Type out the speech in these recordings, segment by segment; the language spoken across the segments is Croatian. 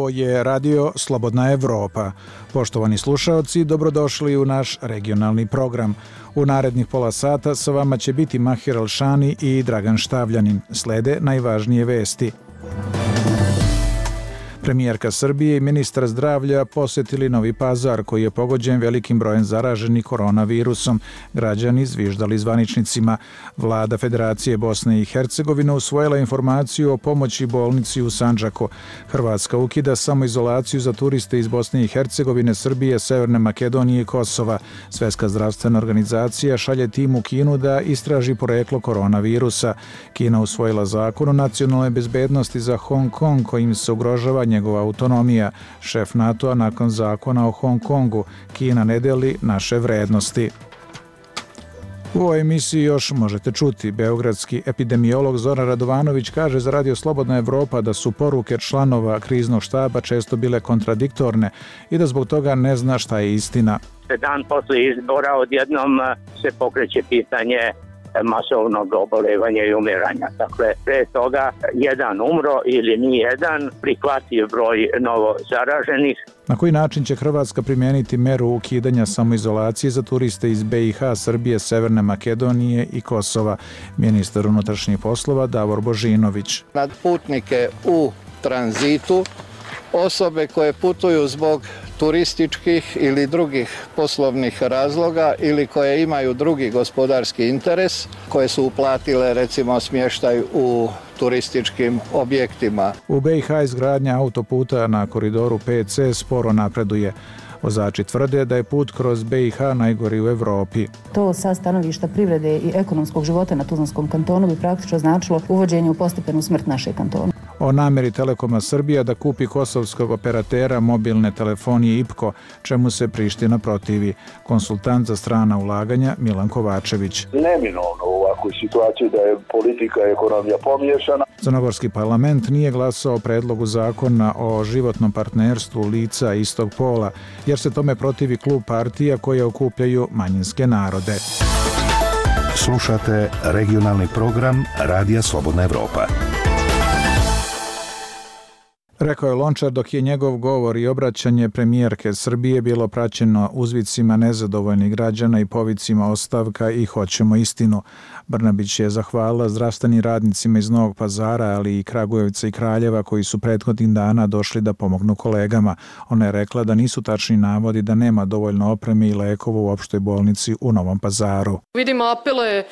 Ovo je Radio Slobodna Evropa. Poštovani slušaoci, dobrodošli u naš regionalni program. U narednih pola sata sa vama će biti Mahir Alšani i Dragan Štavljanin. Slede najvažnije vesti. Premijerka Srbije i ministar zdravlja posjetili Novi Pazar, koji je pogođen velikim brojem zaraženih koronavirusom. Građani zviždali zvaničnicima. Vlada Federacije Bosne i Hercegovine usvojila informaciju o pomoći bolnici u Sandžaku. Hrvatska ukida samoizolaciju za turiste iz Bosne i Hercegovine, Srbije, Severne Makedonije i Kosova. Svjetska zdravstvena organizacija šalje tim u Kinu da istraži poreklo koronavirusa. Kina usvojila zakon o nacionalnoj bezbednosti za Hong Kong, kojim se ugrožava njegova autonomija. Šef NATO-a nakon zakona o Hong Kongu: Kina ne deli naše vrednosti. U ovoj emisiji još možete čuti. Beogradski epidemiolog Zoran Radovanović kaže za Radio Slobodna Evropa da su poruke članova kriznog štaba često bile kontradiktorne i da zbog toga ne zna šta je istina. Dan posle izbora odjednom se pokreće pitanje masovnog obolevanja i umiranja. Dakle, pre toga jedan umro ili ni jedan, prihvatljiv broj novo zaraženih. Na koji način će Hrvatska primijeniti meru ukidanja samoizolacije za turiste iz BiH, Srbije, Severne Makedonije i Kosova? Ministar unutrašnjih poslova Davor Božinović. Nad putnike u tranzitu, osobe koje putuju zbog turističkih ili drugih poslovnih razloga ili koje imaju drugi gospodarski interes, koje su uplatile recimo smještaj u turističkim objektima. U BiH izgradnja autoputa na koridoru 5C sporo napreduje. Vozači tvrde da je put kroz BiH najgori u Evropi. To sa stanovišta privrede i ekonomskog života na Tuzlanskom kantonu bi praktično značilo uvođenje u postepenu smrt našeg kantona. O namjeri Telekoma Srbija da kupi kosovskog operatera mobilne telefonije IPKO, čemu se Priština protivi. Konsultant za strana ulaganja Milan Kovačević. Neminovno u ovakvoj situaciji da je politika i ekonomija pomiješana. Crnogorski parlament nije glasao o predlogu zakona o životnom partnerstvu lica istog pola, jer se tome protivi klub partija koje okupljaju manjinske narode. Slušate regionalni program Radija Slobodna Evropa. Rekao je Lončar dok je njegov govor i obraćanje premijerke Srbije bilo praćeno uzvicima nezadovoljnih građana i povicima ostavka i hoćemo istinu. Brnabić je zahvalila zdravstvenim radnicima iz Novog Pazara, ali i Kragujevca i Kraljeva koji su prethodnih dana došli da pomognu kolegama. Ona je rekla da nisu tačni navodi da nema dovoljno opreme i lekova u opštoj bolnici u Novom Pazaru. Vidim apele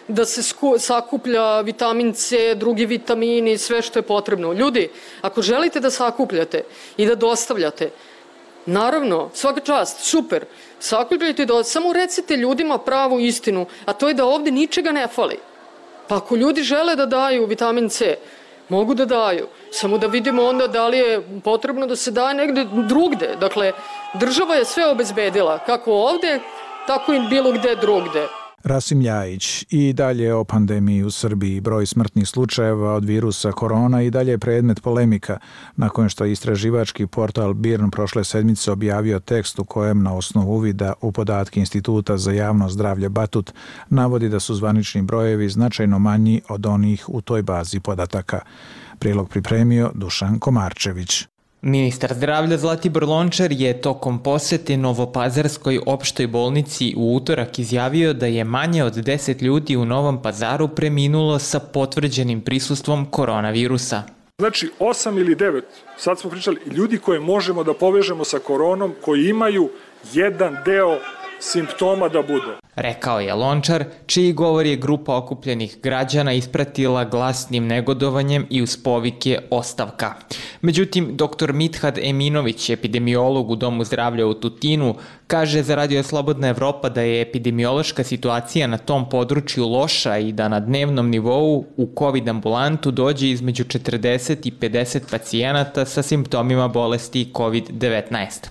da se sakuplja vitamin C, drugi vitamini, sve što je potrebno. Ljudi, ako želite da sakupljate i da dostavljate, naravno, svaka čast, super, sakupljajte, samo recite ljudima pravu istinu, a to je da ovdje ničega ne fali. Pa ako ljudi žele da daju vitamin C, mogu da daju, samo da vidimo onda da li je potrebno da se daje negde drugde. Dakle, država je sve obezbedila, kako ovdje, tako i bilo gde drugde. Rasim Ljajić. I dalje o pandemiji u Srbiji. Broj smrtnih slučajeva od virusa korona i dalje je predmet polemika, nakon što je istraživački portal BIRN prošle sedmice objavio tekst u kojem na osnovu uvida u podatke Instituta za javno zdravlje Batut navodi da su zvanični brojevi značajno manji od onih u toj bazi podataka. Prilog pripremio Dušan Komarčević. Ministar zdravlja Zlatibor Lončar je tokom posete Novopazarskoj opštoj bolnici u utorak izjavio da je manje od 10 ljudi u Novom Pazaru preminulo sa potvrđenim prisustvom koronavirusa. Znači 8 ili 9, sad smo pričali, ljudi koje možemo da povežemo sa koronom, koji imaju jedan deo simptoma da bude. Rekao je Lončar, čiji govor je grupa okupljenih građana ispratila glasnim negodovanjem i uz povike ostavka. Međutim, dr. Mithat Eminović, epidemiolog u Domu zdravlja u Tutinu, kaže za Radio Slobodna Evropa da je epidemiološka situacija na tom području loša i da na dnevnom nivou u COVID ambulantu dođe između 40 i 50 pacijenata sa simptomima bolesti COVID-19.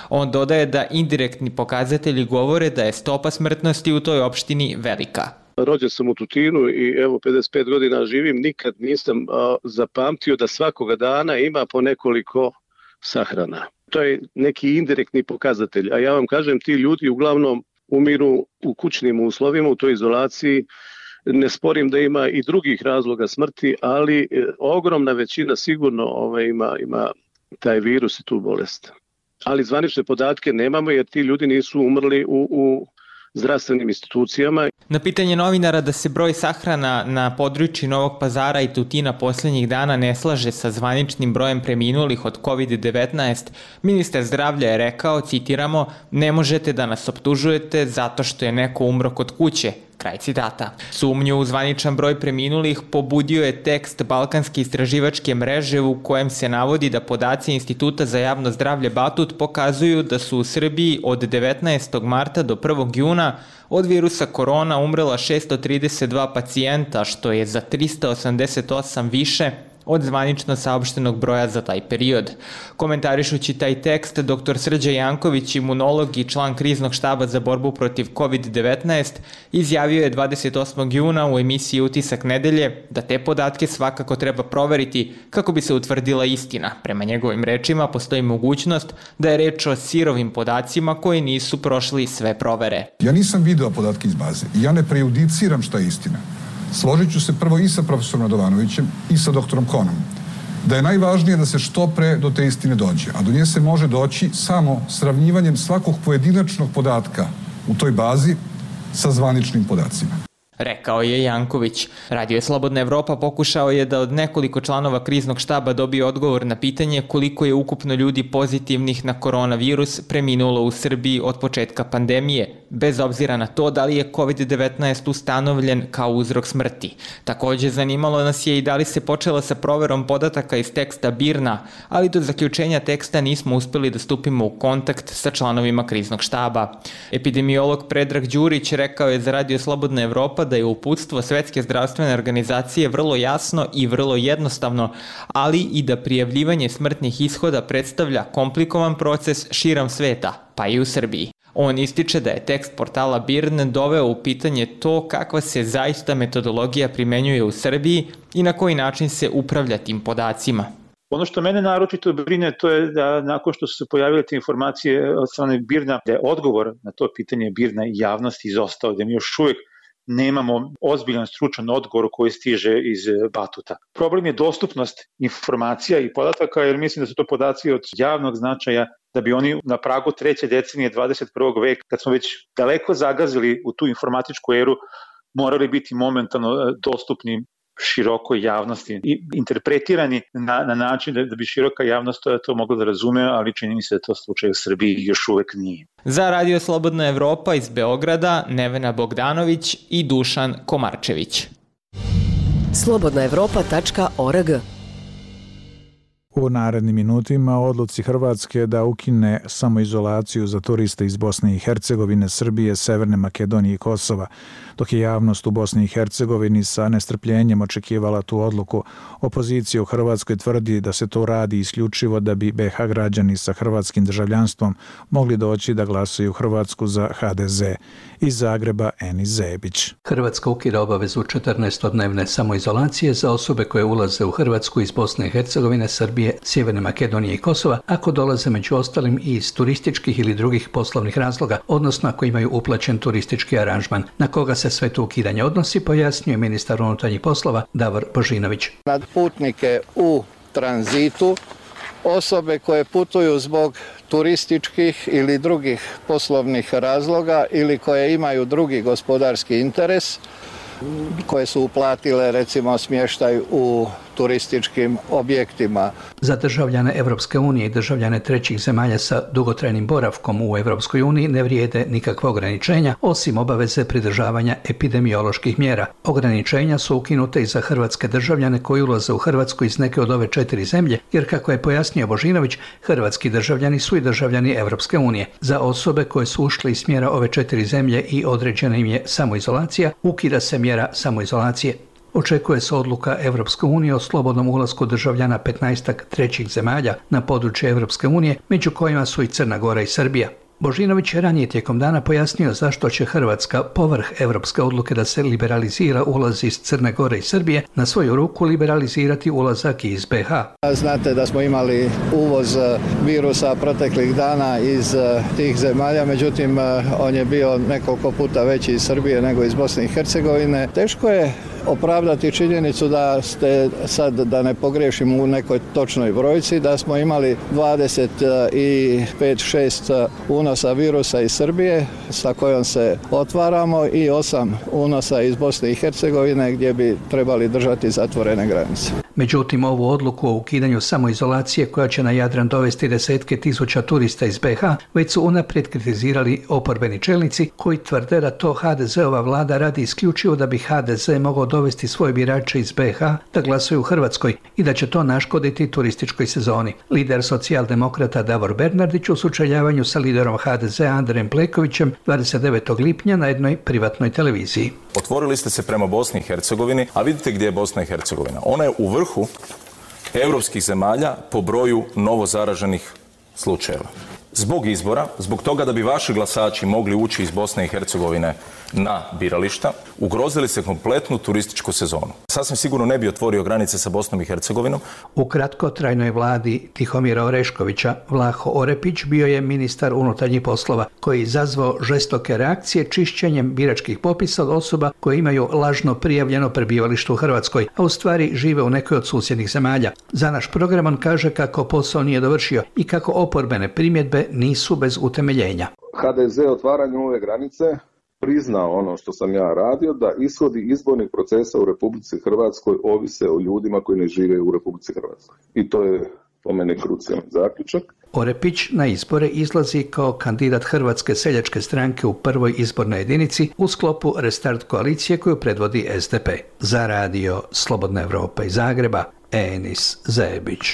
On dodaje da indirektni pokazatelji govore da je stopa smrtnosti u toj opštini velika. Rođen sam u Tutinu i evo 55 godina živim, nikad nisam zapamtio da svakoga dana ima po nekoliko sahrana. To je neki indirektni pokazatelj, a ja vam kažem, ti ljudi uglavnom umiru u kućnim uslovima, u toj izolaciji. Ne sporim da ima i drugih razloga smrti, ali ogromna većina sigurno ima taj virus i tu bolest. Ali zvanične podatke nemamo jer ti ljudi nisu umrli u zdravstvenim institucijama. Na pitanje novinara da se broj sahrana na području Novog Pazara i Tutina posljednjih dana ne slaže sa zvaničnim brojem preminulih od COVID-19, ministar zdravlja je rekao, citiramo, ne možete da nas optužujete zato što je neko umro kod kuće. Kraj citata. Sumnju u zvaničan broj preminulih pobudio je tekst Balkanske istraživačke mreže u kojem se navodi da podaci Instituta za javno zdravlje Batut pokazuju da su u Srbiji od 19. marta do 1. juna od virusa korona umrela 632 pacijenta, što je za 388 više od zvanično saopštenog broja za taj period. Komentarišući taj tekst, dr. Srđa Janković, imunolog i član kriznog štaba za borbu protiv COVID-19, izjavio je 28. juna u emisiji Utisak nedelje da te podatke svakako treba proveriti kako bi se utvrdila istina. Prema njegovim rečima postoji mogućnost da je reč o sirovim podacima koji nisu prošli sve provere. Ja nisam video podatke iz baze i ja ne prejudiciram šta je istina. Složit ću se prvo i sa profesorom Radovanovićem i sa doktorom Konom, da je najvažnije da se što pre do te istine dođe, a do nje se može doći samo sravnjivanjem svakog pojedinačnog podatka u toj bazi sa zvaničnim podacima. Rekao je Janković. Radio Slobodna Evropa pokušao je da od nekoliko članova kriznog štaba dobije odgovor na pitanje koliko je ukupno ljudi pozitivnih na koronavirus preminulo u Srbiji od početka pandemije, bez obzira na to da li je COVID-19 ustanovljen kao uzrok smrti. Također zanimalo nas je i da li se počelo sa proverom podataka iz teksta BIRN-a, ali do zaključenja teksta nismo uspeli da stupimo u kontakt sa članovima kriznog štaba. Epidemiolog Predrag Đurić rekao je za Radio Slobodna Evropa da je uputstvo Svetske zdravstvene organizacije vrlo jasno i vrlo jednostavno, ali i da prijavljivanje smrtnih ishoda predstavlja komplikovan proces širom sveta, pa i u Srbiji. On ističe da je tekst portala BIRN doveo u pitanje to kakva se zaista metodologija primenjuje u Srbiji i na koji način se upravlja tim podacima. Ono što mene naročito brine to je da nakon što su se pojavile te informacije od strane BIRN-a, da je odgovor na to pitanje BIRN-a i javnosti izostao, da mi još uvijek nemamo ozbiljan stručan odgovor koji stiže iz Batuta. Problem je dostupnost informacija i podataka, jer mislim da su to podaci od javnog značaja, da bi oni na pragu 3. decenije 21. veka, kad smo već daleko zagazili u tu informatičku eru, morali biti momentalno dostupni širokoj javnosti i interpretirani na način da bi široka javnost to mogla da razume, ali čini mi se da to slučaj u Srbiji još uvek nije. Za Radio Slobodna Evropa iz Beograda Nevena Bogdanović i Dušan Komarčević. slobodnaevropa.org. U narednim minutima odluci Hrvatske da ukine samoizolaciju za turiste iz Bosne i Hercegovine, Srbije, Severne Makedonije i Kosova. Dok je javnost u Bosni i Hercegovini sa nestrpljenjem očekivala tu odluku, opozicija u Hrvatskoj tvrdi da se to radi isključivo da bi BiH građani sa hrvatskim državljanstvom mogli doći da glasuju u Hrvatsku za HDZ. Iz Zagreba Enis Zebić. Hrvatska ukida obavezu 14-dnevne samoizolacije za osobe koje ulaze u Hrvatsku iz Bosne i Hercegovine, Srbije, Sjeverne Makedonije i Kosova, ako dolaze među ostalim i iz turističkih ili drugih poslovnih razloga, odnosno ako imaju uplaćen turistički aranžman. Na koga se sve to ukidanje odnosi, pojasnio je ministar unutarnjih poslova Davor Božinović. Na putnike u tranzitu, osobe koje putuju zbog turističkih ili drugih poslovnih razloga ili koje imaju drugi gospodarski interes, koje su uplatile recimo smještaj u turističkim objektima. Za državljane Evropske unije i državljane trećih zemalja sa dugotrajnim boravkom u Evropskoj uniji ne vrijede nikakva ograničenja, osim obaveze pridržavanja epidemioloških mjera. Ograničenja su ukinute i za hrvatske državljane koji ulaze u Hrvatsku iz neke od ove 4 zemlje, jer kako je pojasnio Božinović, hrvatski državljani su i državljani Evropske unije. Za osobe koje su ušle iz smjera ove 4 zemlje i određena im je samoizolacija, ukida se mjera samoizolacije. Očekuje se odluka Evropske unije o slobodnom ulasku državljana 15 trećih zemalja na područje Evropske unije, među kojima su i Crna Gora i Srbija. Božinović je ranije tijekom dana pojasnio zašto će Hrvatska, povrh evropske odluke da se liberalizira ulaz iz Crne Gore i Srbije, na svoju ruku liberalizirati ulazak iz BiH. Znate da smo imali uvoz virusa proteklih dana iz tih zemalja, međutim on je bio nekoliko puta veći iz Srbije nego iz Bosne i Hercegovine. Teško je opravdati činjenicu da ste, sad da ne pogriješim u nekoj točnoj brojci, da smo imali 25-6 unosa virusa iz Srbije sa kojom se otvaramo i 8 unosa iz Bosne i Hercegovine gdje bi trebali držati zatvorene granice. Međutim, ovu odluku o ukidanju samoizolacije koja će na Jadran dovesti desetke tisuća turista iz BiH već su unaprijed kritizirali oporbeni čelnici koji tvrde da to HDZ-ova vlada radi isključivo da bi HDZ mogao dovesti svoje birače iz BiH da glasuju u Hrvatskoj i da će to naškoditi turističkoj sezoni. Lider socijaldemokrata Davor Bernardić u sučeljavanju sa liderom HDZ-a Andrejem Plenkovićem 29. lipnja na jednoj privatnoj televiziji. Otvorili ste se prema Bosni i Hercegovini, a vidite gdje je Bosna i Hercegovina. Ona je u vrhu europskih zemalja po broju novozaraženih slučajeva. Zbog izbora, zbog toga da bi vaši glasači mogli ući iz Bosne i Hercegovine na birališta, ugrozili se kompletnu turističku sezonu. Sasvim sigurno ne bi otvorio granice sa Bosnom i Hercegovinom. U kratkotrajnoj vladi Tihomira Oreškovića Vlaho Orepić bio je ministar unutarnjih poslova koji je izazvao žestoke reakcije čišćenjem biračkih popisa od osoba koje imaju lažno prijavljeno prebivalište u Hrvatskoj, a u stvari žive u nekoj od susjednih zemalja. Za naš program on kaže kako posao nije dovršio i kako oporbene primjedbe nisu bez utemeljenja. HDZ otvaranjem ove granice priznao ono što sam ja radio, da ishodi izbornih procesa u Republici Hrvatskoj ovise o ljudima koji ne žive u Republici Hrvatskoj. I to je po mene krucijalni zaključak. Orepić na izbore izlazi kao kandidat Hrvatske seljačke stranke u prvoj izbornoj jedinici u sklopu Restart koalicije koju predvodi SDP. Za radio Slobodna Evropa iz Zagreba, Enis Zebić.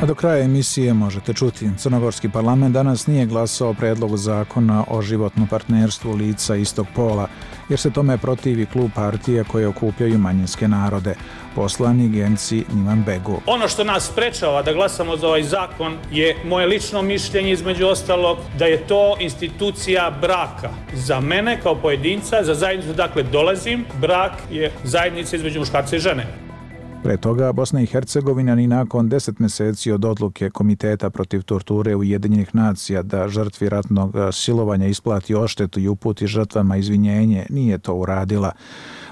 A do kraja emisije možete čuti. Crnogorski parlament danas nije glasao o predlogu zakona o životnom partnerstvu lica istog pola, jer se tome protivi klub partija koje okupljaju manjinske narode. Poslanik Genci Niman Begu. Ono što nas sprečava da glasamo za ovaj zakon je moje lično mišljenje, između ostalog, da je to institucija braka. Za mene kao pojedinca, za zajednicu dakle dolazim, brak je zajednica između muškarca i žene. Pre toga, Bosna i Hercegovina ni nakon 10 mjeseci od odluke Komiteta protiv torture Ujedinjenih nacija da žrtvi ratnog silovanja isplati odštetu i uputi žrtvama izvinjenje, nije to uradila.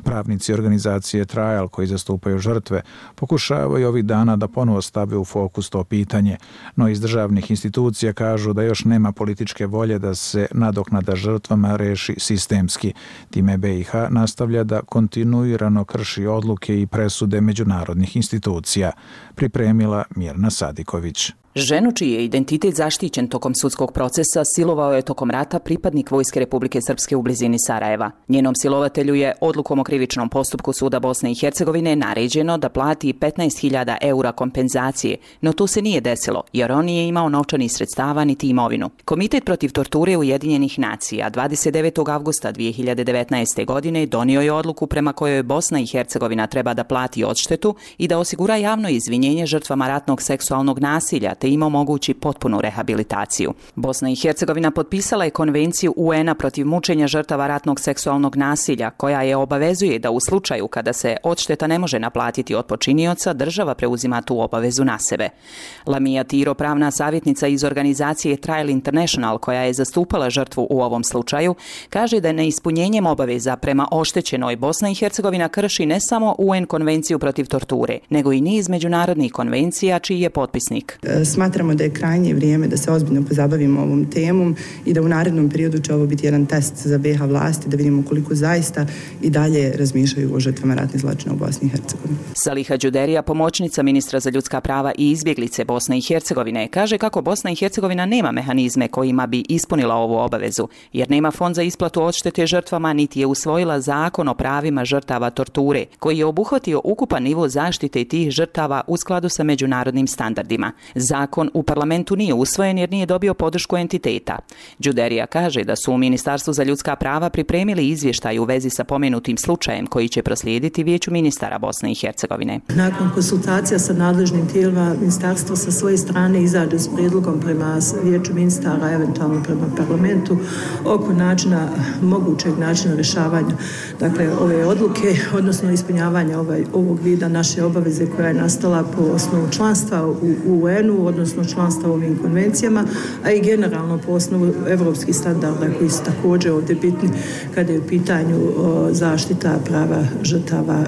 Pravnici organizacije Trial koji zastupaju žrtve pokušavaju ovih dana da ponovo stave u fokus to pitanje, no iz državnih institucija kažu da još nema političke volje da se nadoknada žrtvama reši sistemski. Time BiH nastavlja da kontinuirano krši odluke i presude međunarodnih institucija. Pripremila Mirna Sadiković. Ženu čiji je identitet zaštićen tokom sudskog procesa silovao je tokom rata pripadnik Vojske Republike Srpske u blizini Sarajeva. Njenom silovatelju je odlukom o krivičnom postupku Suda Bosne i Hercegovine naređeno da plati 15.000 eura kompenzacije, no to se nije desilo jer on nije imao novčanih sredstava niti imovinu. Komitet protiv torture Ujedinjenih nacija 29. avgusta 2019. godine donio je odluku prema kojoj Bosna i Hercegovina treba da plati odštetu i da osigura javno izvinjenje žrtvama ratnog seksualnog nasilja te im omogući potpunu rehabilitaciju. Bosna i Hercegovina potpisala je konvenciju UN-a protiv mučenja žrtava ratnog seksualnog nasilja, koja je obavezuje da u slučaju kada se odšteta ne može naplatiti od počinioca, država preuzima tu obavezu na sebe. Lamija Tiro, pravna savjetnica iz organizacije Trial International, koja je zastupala žrtvu u ovom slučaju, kaže da neispunjenjem obaveza prema oštećenoj Bosna i Hercegovina krši ne samo UN konvenciju protiv torture, nego i niz međunarodnih konvencija čiji je potpisnik. Smatramo da je krajnje vrijeme da se ozbiljno pozabavimo ovom temom i da u narednom periodu će ovo biti jedan test za BiH vlasti, da vidimo koliko zaista i dalje razmišljaju o žrtvama ratnih zločina u Bosni i Hercegovini. Saliha Đuderija, pomoćnica ministra za ljudska prava i izbjeglice Bosne i Hercegovine, kaže kako Bosna i Hercegovina nema mehanizme kojima bi ispunila ovu obavezu, jer nema fond za isplatu odštete žrtvama, niti je usvojila zakon o pravima žrtava torture, koji je obuhvatio ukupan nivo zaštite tih žrtava u skladu sa međunarodnim standardima. Zakon u parlamentu nije usvojen jer nije dobio podršku entiteta. Đuderija kaže da su u Ministarstvu za ljudska prava pripremili izvještaj u vezi sa pomenutim slučajem koji će proslijediti Vijeću ministara Bosne i Hercegovine. Nakon konsultacija sa nadležnim tijelima, ministarstvo sa svoje strane izađe s prijedlogom prema Vijeću ministara, eventualno prema parlamentu, oko mogućeg načina rješavanja ove odluke, odnosno ispunjavanja ovog vida naše obaveze koja je nastala po osnovu članstva u UN-u, zakonu, odnosno članstva u ovim konvencijama, a i generalno po osnovu evropskih standarda koji su također ovdje bitni kada je u pitanju zaštita prava žrtava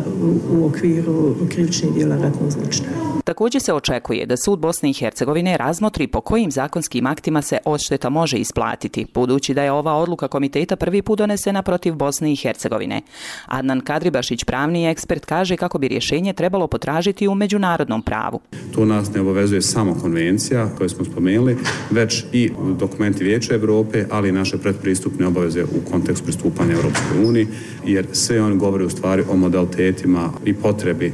u okviru krivičnih djela ratnog zločina. Također se očekuje da sud Bosne i Hercegovine razmotri po kojim zakonskim aktima se odšteta može isplatiti, budući da je ova odluka komiteta prvi put donesena protiv Bosne i Hercegovine. Adnan Kadribašić, pravni ekspert, kaže kako bi rješenje trebalo potražiti u međunarodnom pravu. To nas ne obavezuje samo konvencija koju smo spomenuli, već i dokumenti Vijeća Europe, ali i naše predpristupne obaveze u kontekstu pristupanja Europskoj uniji, jer sve oni govore u stvari o modalitetima i potrebi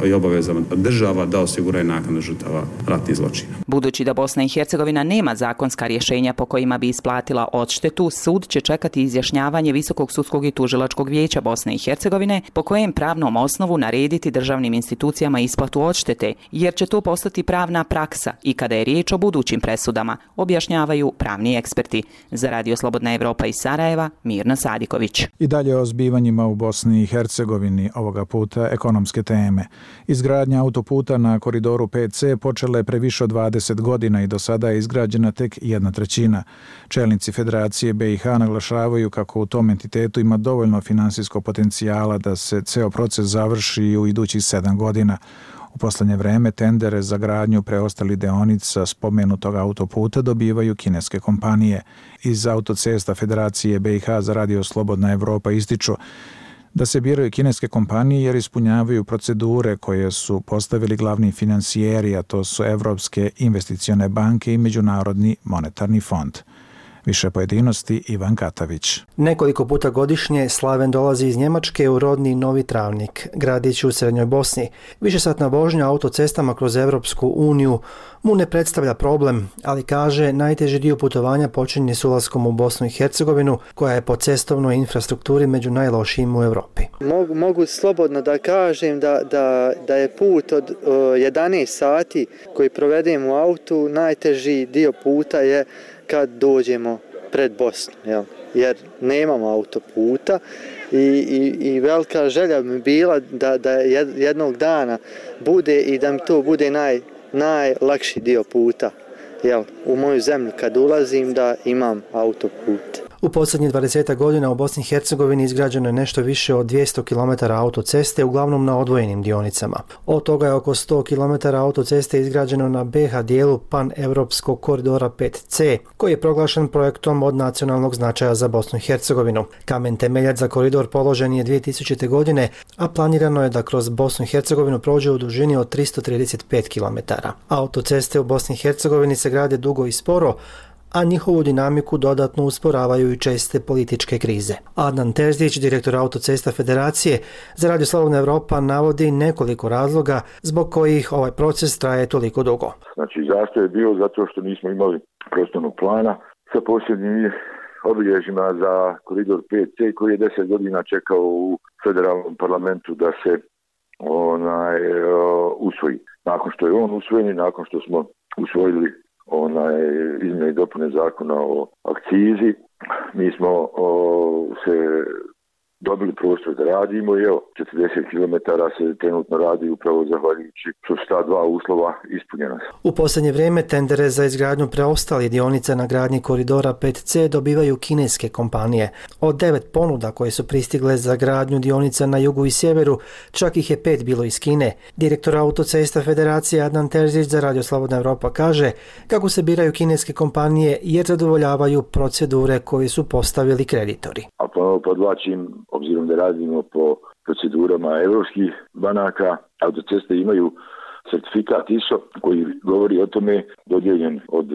i obavezama država da osiguraju naknadu žrtava ratnih zločina. Budući da Bosna i Hercegovina nema zakonska rješenja po kojima bi isplatila odštetu, sud će čekati izjašnjavanje Visokog sudskog i tužilačkog vijeća Bosne i Hercegovine po kojem pravnom osnovu narediti državnim institucijama isplatu odštete, jer će to postati pravna praksa i kada je riječ o budućim presudama, objašnjavaju pravni eksperti. Za Radio Slobodna Evropa iz Sarajeva, Mirna Sadiković. I dalje o zbivanjima u Bosni i Hercegovini, ovoga puta ekonomske teme. Izgradnja autoputa na koridoru 5C počela je pre više od 20 godina i do sada je izgrađena tek 1/3. Čelnici Federacije BiH naglašavaju kako u tom entitetu ima dovoljno finansijskog potencijala da se ceo proces završi u idućih 7 godina. U poslednje vreme tendere za gradnju preostalih deonica spomenutog autoputa dobivaju kineske kompanije. Iz Autocesta Federacije BiH za Radio Slobodna Evropa ističu da se biraju kineske kompanije jer ispunjavaju procedure koje su postavili glavni finansijeri, a to su Evropske investicione banke i Međunarodni monetarni fond. Više pojedinosti Ivan Katavić. Nekoliko puta godišnje Slaven dolazi iz Njemačke u rodni Novi Travnik, gradić u Srednjoj Bosni. Višesatna vožnja autocestama kroz Evropsku uniju mu ne predstavlja problem, ali kaže najteži dio putovanja počinje s ulaskom u Bosnu i Hercegovinu, koja je po cestovnoj infrastrukturi među najlošijim u Europi. Mogu slobodno da kažem da je put od 11 sati koji provedem u autu, najteži dio puta je kad dođemo pred Bosnu, jer nemamo autoputa i velika želja mi bila da jednog dana bude i da mi to bude najlakši dio puta. U moju zemlju kad ulazim da imam autoput. U posljednjih 20 godina u Bosni i Hercegovini izgrađeno je nešto više od 200 km autoceste, uglavnom na odvojenim dionicama. Od toga je oko 100 km autoceste izgrađeno na BiH dijelu pan-evropskog koridora 5C, koji je proglašen projektom od nacionalnog značaja za Bosnu i Hercegovinu. Kamen temeljac za koridor položen je 2000. godine, a planirano je da kroz Bosnu i Hercegovinu prođe u dužini od 335 km. Autoceste u Bosni i Hercegovini se grade dugo i sporo, a njihovu dinamiku dodatno usporavaju i česte političke krize. Adnan Terzić, direktor Autocesta Federacije za Radio Slobodna Evropa, navodi nekoliko razloga zbog kojih ovaj proces traje toliko dugo. Znači, zastoj je bio zato što nismo imali prostornog plana sa posebnim obilježjima za koridor 5C koji je 10 godina čekao u federalnom parlamentu da se usvoji. Nakon što je on usvojen i nakon što smo usvojili izmjene i dopune zakona o akcizi, mi smo se dobili prostor da radimo i 40 km se trenutno radi upravo zahvaljujući što su ta dva uslova ispunjena. U posljednje vrijeme tendere za izgradnju preostalih dionica na gradnji koridora 5C dobivaju kineske kompanije. Od 9 ponuda koje su pristigle za gradnju dionica na jugu i sjeveru, čak ih je 5 bilo iz Kine. Direktor Autocesta Federacije Adnan Terzić za Radio Slobodna Evropa kaže kako se biraju kineske kompanije jer zadovoljavaju procedure koje su postavili kreditori. A ponovo podvlačim, obzirom da radimo po procedurama evropskih banaka, autoceste imaju certifikat ISO koji govori o tome, dodijeljen od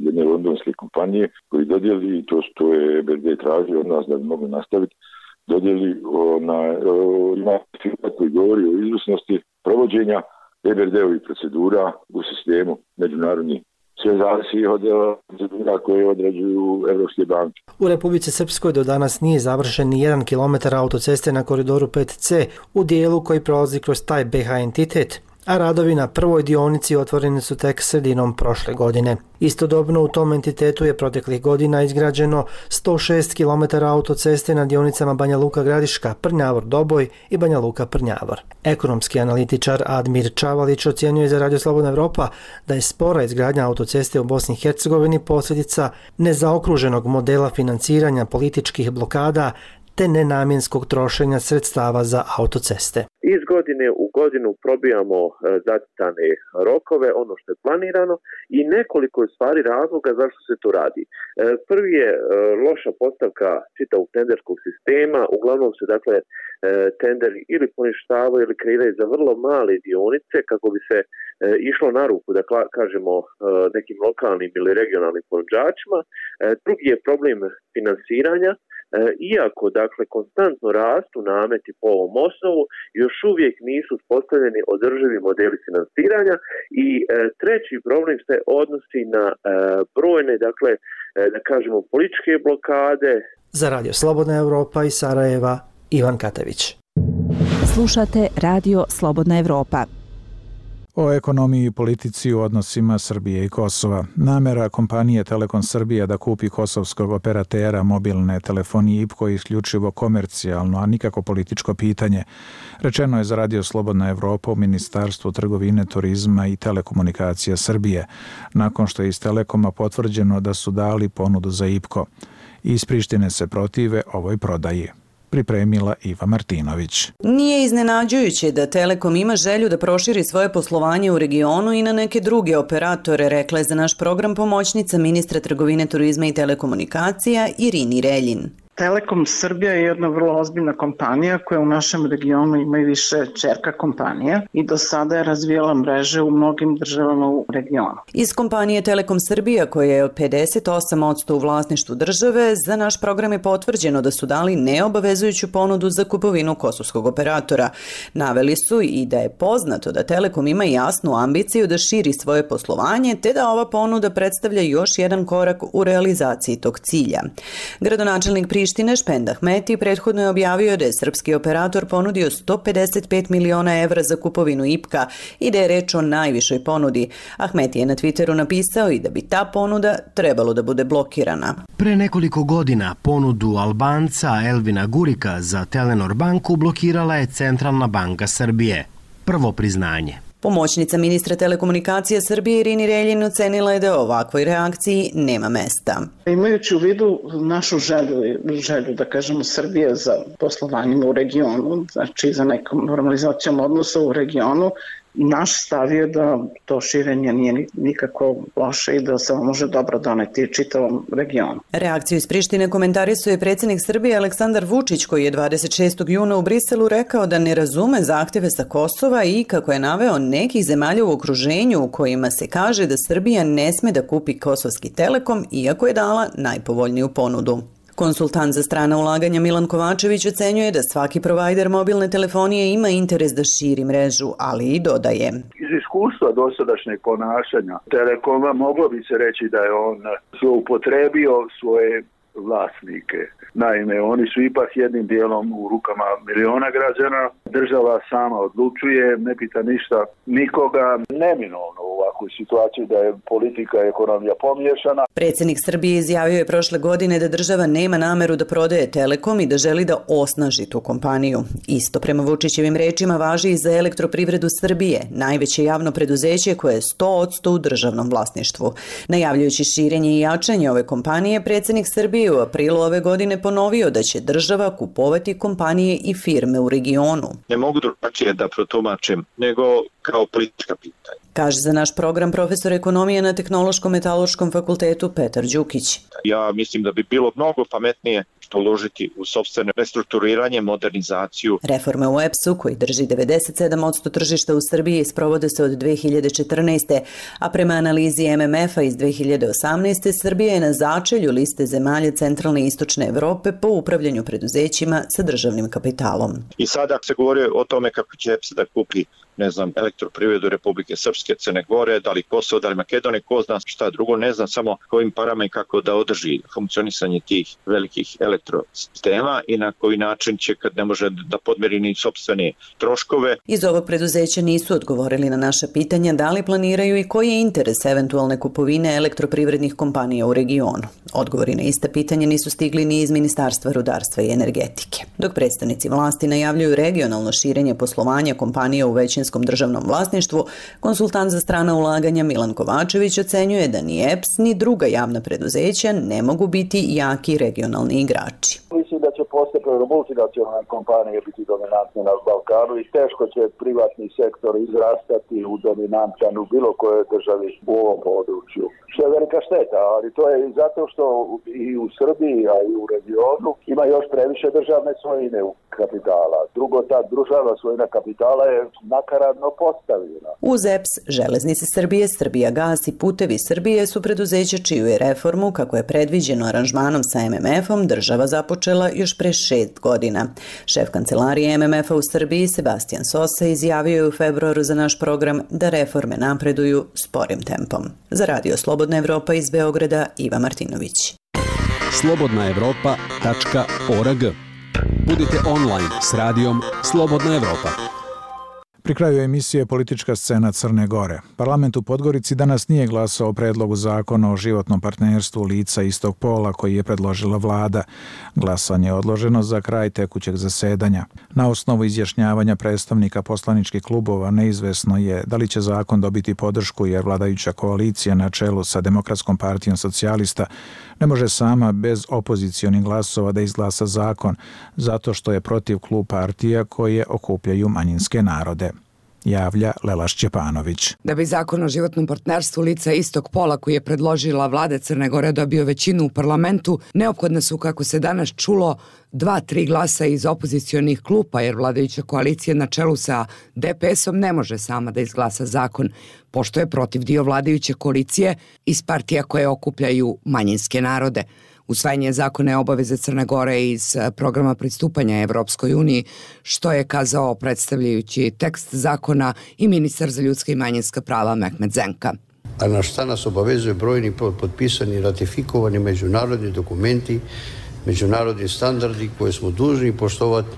jedne londonske kompanije koji dodijeli, i to je EBRD tražio od nas da bi mogli nastaviti, dodijeli ima certifikat koji govori o izvrsnosti provođenja EBRD-ovih procedura u sistemu međunarodnih. Sve zavisi od procedura koje određuju evropske banke. U Republici Srpskoj do danas nije završen ni 1 kilometar autoceste na koridoru 5C u dijelu koji prolazi kroz taj BiH entitet, a radovi na prvoj dionici otvoreni su tek sredinom prošle godine. Istodobno u tom entitetu je proteklih godina izgrađeno 106 km autoceste na dionicama Banja Luka-Gradiška, Prnjavor-Doboj i Banja Luka-Prnjavor. Ekonomski analitičar Admir Čavalić ocjenjuje za Radio Slobodna Evropa da je spora izgradnja autoceste u Bosni i Hercegovini posljedica nezaokruženog modela financiranja političkih blokada te nenamjenskog trošenja sredstava za autoceste. Iz godine u godinu probijamo zacrtane rokove, ono što je planirano i nekoliko je stvari razloga zašto se to radi. Prvi je loša postavka čitavog tenderskog sistema, uglavnom se dakle tenderi ili poništavaju ili kreiraju za vrlo male dionice kako bi se išlo na ruku, da kažemo, nekim lokalnim ili regionalnim ponuđačima. Drugi je problem finansiranja. Iako, dakle, konstantno rastu nameti po ovom osnovu, još uvijek nisu uspostavljeni održivi modeli finansiranja i treći problem se odnosi na brojne, dakle, da kažemo, političke blokade. Za Radio Slobodna Evropa iz Sarajeva, Ivan Katević. Slušate Radio Slobodna Evropa. O ekonomiji i politici u odnosima Srbije i Kosova. Namera kompanije Telekom Srbija da kupi kosovskog operatera mobilne telefonije IPKO je isključivo komercijalno, a nikako političko pitanje. Rečeno je za Radio Slobodna Evropa u Ministarstvu trgovine, turizma i telekomunikacija Srbije, nakon što je iz Telekoma potvrđeno da su dali ponudu za IPKO. Iz Prištine se protive ovoj prodaji. Pripremila Iva Martinović. Nije iznenađujuće da Telekom ima želju da proširi svoje poslovanje u regionu i na neke druge operatore, rekla je za naš program pomoćnica ministra trgovine, turizma i telekomunikacija Irini Reljin. Telekom Srbija je jedna vrlo ozbiljna kompanija koja u našem regionu ima i više ćerka kompanija i do sada je razvijala mreže u mnogim državama u regionu. Iz kompanije Telekom Srbija, koja je od 58% u vlasništvu države, za naš program je potvrđeno da su dali neobavezujuću ponudu za kupovinu kosovskog operatora. Naveli su i da je poznato da Telekom ima jasnu ambiciju da širi svoje poslovanje, te da ova ponuda predstavlja još jedan korak u realizaciji tog cilja. Gradonačelnik Prištine Špend Ahmeti prethodno je objavio da je srpski operator ponudio 155 miliona evra za kupovinu IPKA i da je reč o najvišoj ponudi. Ahmeti je na Twitteru napisao i da bi ta ponuda trebalo da bude blokirana. Pre nekoliko godina ponudu Albanca Elvina Gurika za Telenor banku blokirala je Centralna banka Srbije. Prvo priznanje. Pomoćnica ministra telekomunikacija Srbije Irini Reljin ocenila je da ovakvoj reakciji nema mesta. Imajući u vidu našu želju da kažemo Srbije za poslovanjem u regionu, znači za nekom normalizacijom odnosa u regionu, naš stav je da to širenje nije nikako loše i da se može dobro doneti čitavom regionu. Reakciju iz Prištine komentarisuje predsjednik Srbije Aleksandar Vučić, koji je 26. juna u Briselu rekao da ne razume zahtjeve sa Kosova i kako je naveo nekih zemalja u okruženju u kojima se kaže da Srbija ne sme da kupi kosovski Telekom, iako je dala najpovoljniju ponudu. Konsultant za strana ulaganja Milan Kovačević ocenjuje da svaki provajder mobilne telefonije ima interes da širi mrežu, ali i dodaje. Iz iskustva dosadašnjeg ponašanja Telekoma moglo bi se reći da je on zloupotrebio svoje vlasnike. Naime, oni su ipak jednim dijelom u rukama miliona građana. Država sama odlučuje, ne pita ništa nikoga. Neminovno u ovakvoj situaciji da je politika i ekonomija pomiješana. Predsjednik Srbije izjavio je prošle godine da država nema nameru da prodaje Telekom i da želi da osnaži tu kompaniju. Isto prema Vučićevim rečima važi i za Elektroprivredu Srbije, najveće javno preduzeće koje je 100% u državnom vlasništvu. Najavljujući širenje i jačanje ove kompanije, predsjednik Srbije u aprilu ove godine ponovio da će država kupovati kompanije i firme u regionu. Ne mogu drugačije da protumačim nego kao politička pitanja. Kaže za naš program profesor ekonomije na Tehnološkom metaloškom fakultetu Petar Đukić. Ja mislim da bi bilo mnogo pametnije uložiti u sopstveno restrukturiranje, modernizaciju. Reforme u EPS-u, koji drži 97% tržišta u Srbiji, sprovode se od 2014. A prema analizi MMF-a iz 2018. Srbija je na začelju liste zemalja centralne i istočne Evrope po upravljanju preduzećima sa državnim kapitalom. I sada se govori o tome kako će EPS da kupi elektroprivredu Republike Srpske, Crne Gore, da li Kosovo, da li Makedonije, ko zna šta drugo, ne znam samo kojim parama i kako da održi funkcionisanje tih velikih elektrosistema i na koji način će, kad ne može da podmiri ni sopstvene troškove. Iz ovog preduzeća nisu odgovorili na naša pitanja da li planiraju i koji je interes eventualne kupovine elektroprivrednih kompanija u regionu. Odgovori na ista pitanja nisu stigli ni iz Ministarstva rudarstva i energetike. Dok predstavnici vlasti najavljuju regionalno širenje poslovanja kompanija u većinskom državnom vlasništvu, konsultant za strana ulaganja Milan Kovačević ocenjuje da ni EPS ni druga javna preduzeća ne mogu biti jaki regionalni igrači. Mislim da će postepeno multinacionalne kompanije biti dominantne na Balkanu i teško će privatni sektor izrastati u dominantan u bilo kojoj državi u ovom području. Što je velika šteta, ali to je i zato što i u Srbiji, a i u regionu ima još previše državne svojine u kapitala. Drugo, ta državna svojina kapitala je nakaradno postavljena. Uz EPS, Železnice Srbije, Srbijagas i Putevi Srbije su preduzeća čiju je reformu, kako je predviđeno aranžmanom sa MMF-om, država započela još pre 6 godina. Šef kancelarije MMF-a u Srbiji, Sebastian Sosa, izjavio je u februaru za naš program da reforme napreduju sporim tempom. Za Radio Slobodna Evropa iz Beograda, Iva Martinović. slobodnaevropa.org. Budite online s radijom Slobodna Evropa. Pri kraju emisije Politička scena Crne Gore. Parlament u Podgorici danas nije glasao o predlogu zakona o životnom partnerstvu lica istog pola koji je predložila vlada. Glasanje je odloženo za kraj tekućeg zasedanja. Na osnovu izjašnjavanja predstavnika poslaničkih klubova neizvesno je da li će zakon dobiti podršku jer vladajuća koalicija na čelu sa Demokratskom partijom socijalista ne može sama bez opozicionih glasova da izglasa zakon zato što je protiv klub partija koje okupljaju manjinske narode. Javlja Lela Šćepanović. Da bi zakon o životnom partnerstvu lica istog pola koji je predložila vlada Crne Gore dobio većinu u parlamentu, neophodne su, kako se danas čulo, 2-3 glasa iz opozicionih klupa, jer vladajuća koalicija na čelu sa DPS-om ne može sama da izglasa zakon, pošto je protiv dio vladajuće koalicije iz partija koje okupljaju manjinske narode. Usvajanje zakona je obaveze Crne Gore iz programa pristupanja Evropskoj uniji, što je kazao predstavljajući tekst zakona i ministar za ljudska i manjinska prava Mehmet Zenka. A na šta nas obavezuje brojni potpisani i ratifikovani međunarodni dokumenti, međunarodni standardi koje smo dužni poštovati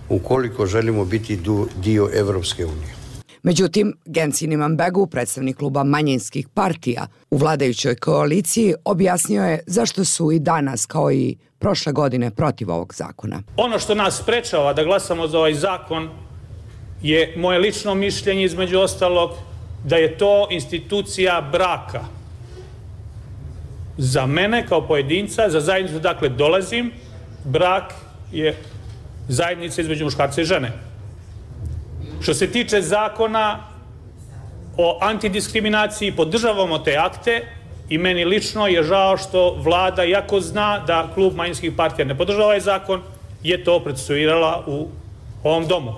ukoliko želimo biti dio Evropske unije. Međutim, Gensin Imanbegu, predstavnik kluba manjinskih partija u vladajućoj koaliciji, objasnio je zašto su i danas, kao i prošle godine, protiv ovog zakona. Ono što nas sprečava da glasamo za ovaj zakon je moje lično mišljenje, između ostalog, da je to institucija braka. Za mene kao pojedinca, za zajednicu dakle dolazim, brak je zajednica između muškarca i žene. Što se tiče zakona o antidiskriminaciji, podržavamo te akte i meni lično je žao što vlada, iako zna da klub manjinskih partija ne podržava ovaj zakon, je to procesuirala u ovom domu.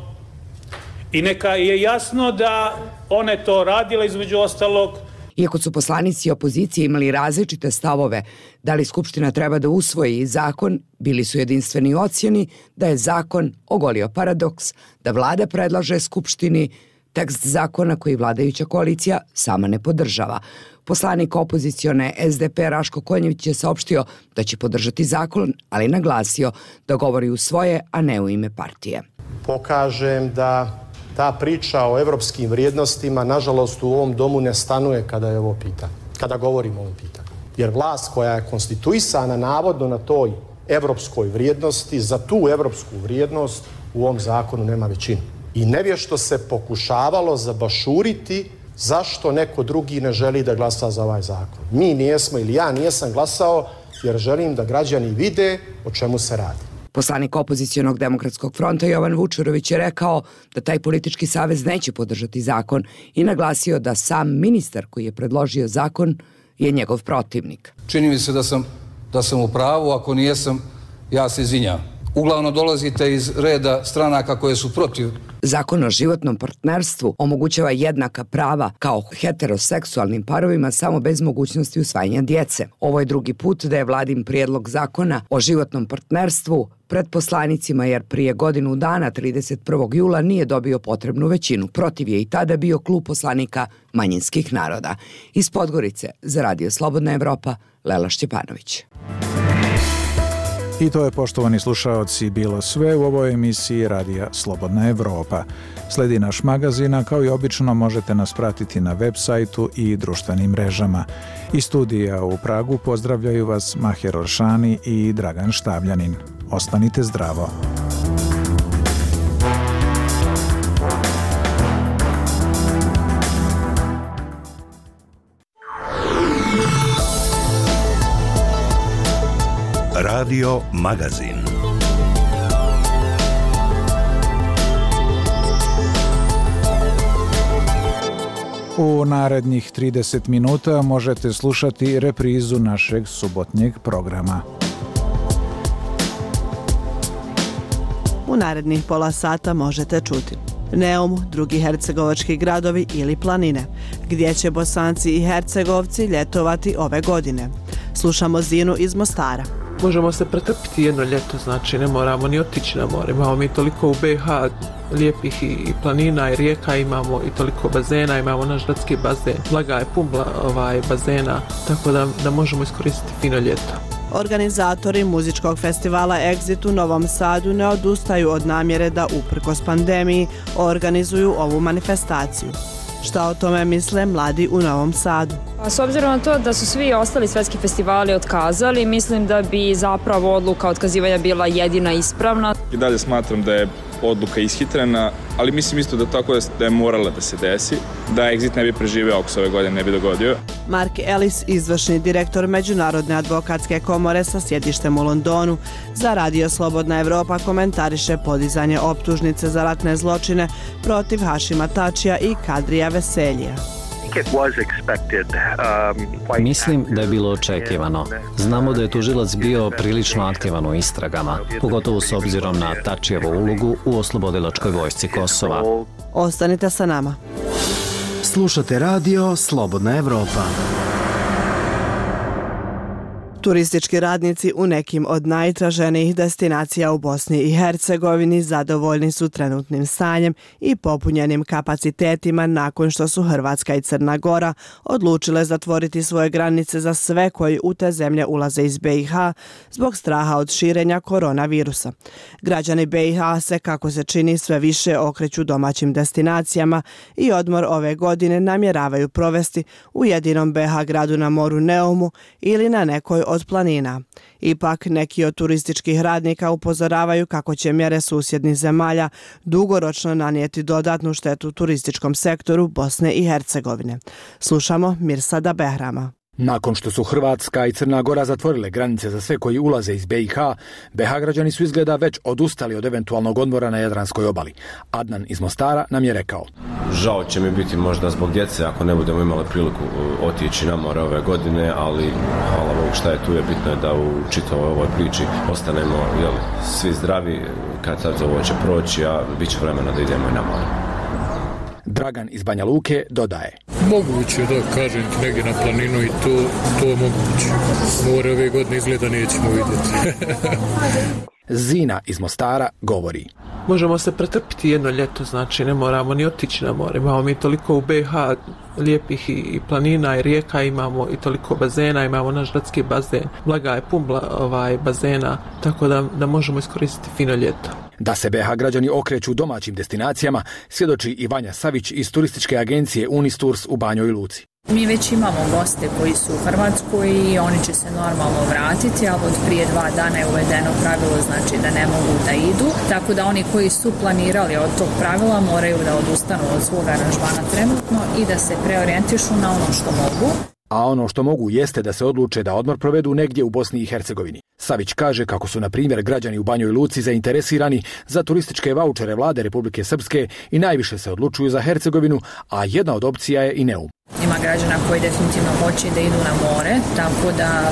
I neka je jasno da one to radile, između ostalog. Iako su poslanici opozicije imali različite stavove da li Skupština treba da usvoji zakon, bili su jedinstveni u ocjeni da je zakon ogolio paradoks, da vlada predlaže Skupštini tekst zakona koji vladajuća koalicija sama ne podržava. Poslanik opozicione SDP Raško Konjević je saopštio da će podržati zakon, ali naglasio da govori u svoje, a ne u ime partije. Pokažem da ta priča o evropskim vrijednostima, nažalost, u ovom domu ne stanuje kada je ovo pitanje, kada govorimo o ovom pitanju. Jer vlast koja je konstituisana navodno na toj evropskoj vrijednosti, za tu evropsku vrijednost u ovom zakonu nema većinu. I nevješto se pokušavalo zabašuriti zašto neko drugi ne želi da glasa za ovaj zakon. Mi nijesmo ili ja nijesam glasao jer želim da građani vide o čemu se radi. Poslanik opozicionog demokratskog fronta Jovan Vučurović je rekao da taj politički savez neće podržati zakon i naglasio da sam ministar koji je predložio zakon je njegov protivnik. Čini mi se da sam u pravu, ako nijesam, ja se izvinjam. uglavnom dolazite iz reda stranaka koje su protiv. Zakon o životnom partnerstvu omogućava jednaka prava kao heteroseksualnim parovima samo bez mogućnosti usvajanja djece. Ovo je drugi put da je vladin prijedlog zakona o životnom partnerstvu pred poslanicima, jer prije godinu dana, 31. jula, nije dobio potrebnu većinu. Protiv je i tada bio klub poslanika manjinskih naroda. Iz Podgorice za Radio Slobodna Evropa, Lela Šćepanović. I to je, poštovani slušaoci, bilo sve u ovoj emisiji Radija Slobodna Evropa. Sledi naš magazin, a kao i obično možete nas pratiti na web sajtu i društvenim mrežama. Iz studija u Pragu pozdravljaju vas Maher Oršani i Dragan Štavljanin. Ostanite zdravo. Radio Magazin. U narednih 30 minuta možete slušati reprizu našeg subotnjeg programa. U narednih pola sata možete čuti Neum, drugi hercegovački gradovi ili planine, gdje će Bosanci i Hercegovci ljetovati ove godine. Slušamo Zinu iz Mostara. Možemo se pretrpiti jedno ljeto, znači ne moramo ni otići na more. Imamo mi toliko u BiH lijepih i planina i rijeka, imamo i toliko bazena, imamo naš gradski bazen. Blaga je pun bazena, tako da možemo iskoristiti fino ljeto. Organizatori muzičkog festivala Exit u Novom Sadu ne odustaju od namjere da uprkos pandemiji organizuju ovu manifestaciju. Šta o tome misle mladi u Novom Sadu? S obzirom na to da su svi ostali svetski festivali otkazali, mislim da bi zapravo odluka otkazivanja bila jedina ispravna. I dalje smatram da je odluka ishitrena, ali mislim isto da tako da je morala da se desi, da Exit ne bi preživeo ako se ove godine ne bi dogodio. Mark Ellis, izvršni direktor Međunarodne advokatske komore sa sjedištem u Londonu, za Radio Slobodna Evropa komentariše podizanje optužnice za ratne zločine protiv Hašima Tačija i Kadrija Veseljija. Mislim da je bilo očekivano. Znamo da je tužilac bio prilično aktivan u istragama, pogotovo s obzirom na Tačijevu ulogu u oslobodilačkoj vojsci Kosova. Ostanite sa nama. Slušate Radio Slobodna Evropa. Turistički radnici u nekim od najtraženijih destinacija u Bosni i Hercegovini zadovoljni su trenutnim stanjem i popunjenim kapacitetima nakon što su Hrvatska i Crna Gora odlučile zatvoriti svoje granice za sve koji u te zemlje ulaze iz BiH zbog straha od širenja koronavirusa. Građani BiH se, kako se čini, sve više okreću domaćim destinacijama i odmor ove godine namjeravaju provesti u jedinom BiH gradu na moru Neumu ili na nekoj od planina. Ipak, neki od turističkih radnika upozoravaju kako će mjere susjednih zemalja dugoročno nanijeti dodatnu štetu turističkom sektoru Bosne i Hercegovine. Slušamo Mirsada Behrama. Nakon što su Hrvatska i Crna Gora zatvorile granice za sve koji ulaze iz BiH, BiH građani su izgleda već odustali od eventualnog odmora na Jadranskoj obali. Adnan iz Mostara nam je rekao: žao će mi biti možda zbog djece ako ne budemo imali priliku otići na more ove godine, ali hvala Bogu šta je tu, je bitno je da u čitavoj ovoj priči ostanemo svi zdravi, kad sad ovo će proći, a bit će vremena da idemo i na more. Dragan iz Banja Luke dodaje: moguće da kažem negdje na planinu i to moguće. More ove godine izgleda nećemo vidjeti. Zina iz Mostara govori: možemo se pretrpiti jedno ljeto, znači ne moramo ni otići na more. Imamo mi toliko u BiH lijepih i planina i rijeka, imamo i toliko bazena, imamo naš gradski bazen. Blaga je pun bazena, tako da možemo iskoristiti fino ljeto. Da se BiH građani okreću domaćim destinacijama svjedoči i Vanja Savić iz turističke agencije Unistours u Banjoj Luci. Mi već imamo goste koji su u Hrvatskoj i oni će se normalno vratiti, ali od prije 2 dana je uvedeno pravilo, znači da ne mogu da idu. Tako da oni koji su planirali od tog pravila moraju da odustanu od svog aranžmana trenutno i da se preorijentišu na ono što mogu. A ono što mogu jeste da se odluče da odmor provedu negdje u Bosni i Hercegovini. Savić kaže kako su, na primjer, građani u Banjoj Luci zainteresirani za turističke vaučere vlade Republike Srpske i najviše se odlučuju za Hercegovinu, a jedna od opcija je i Neum. Ima građana koji definitivno hoće da idu na more, tako da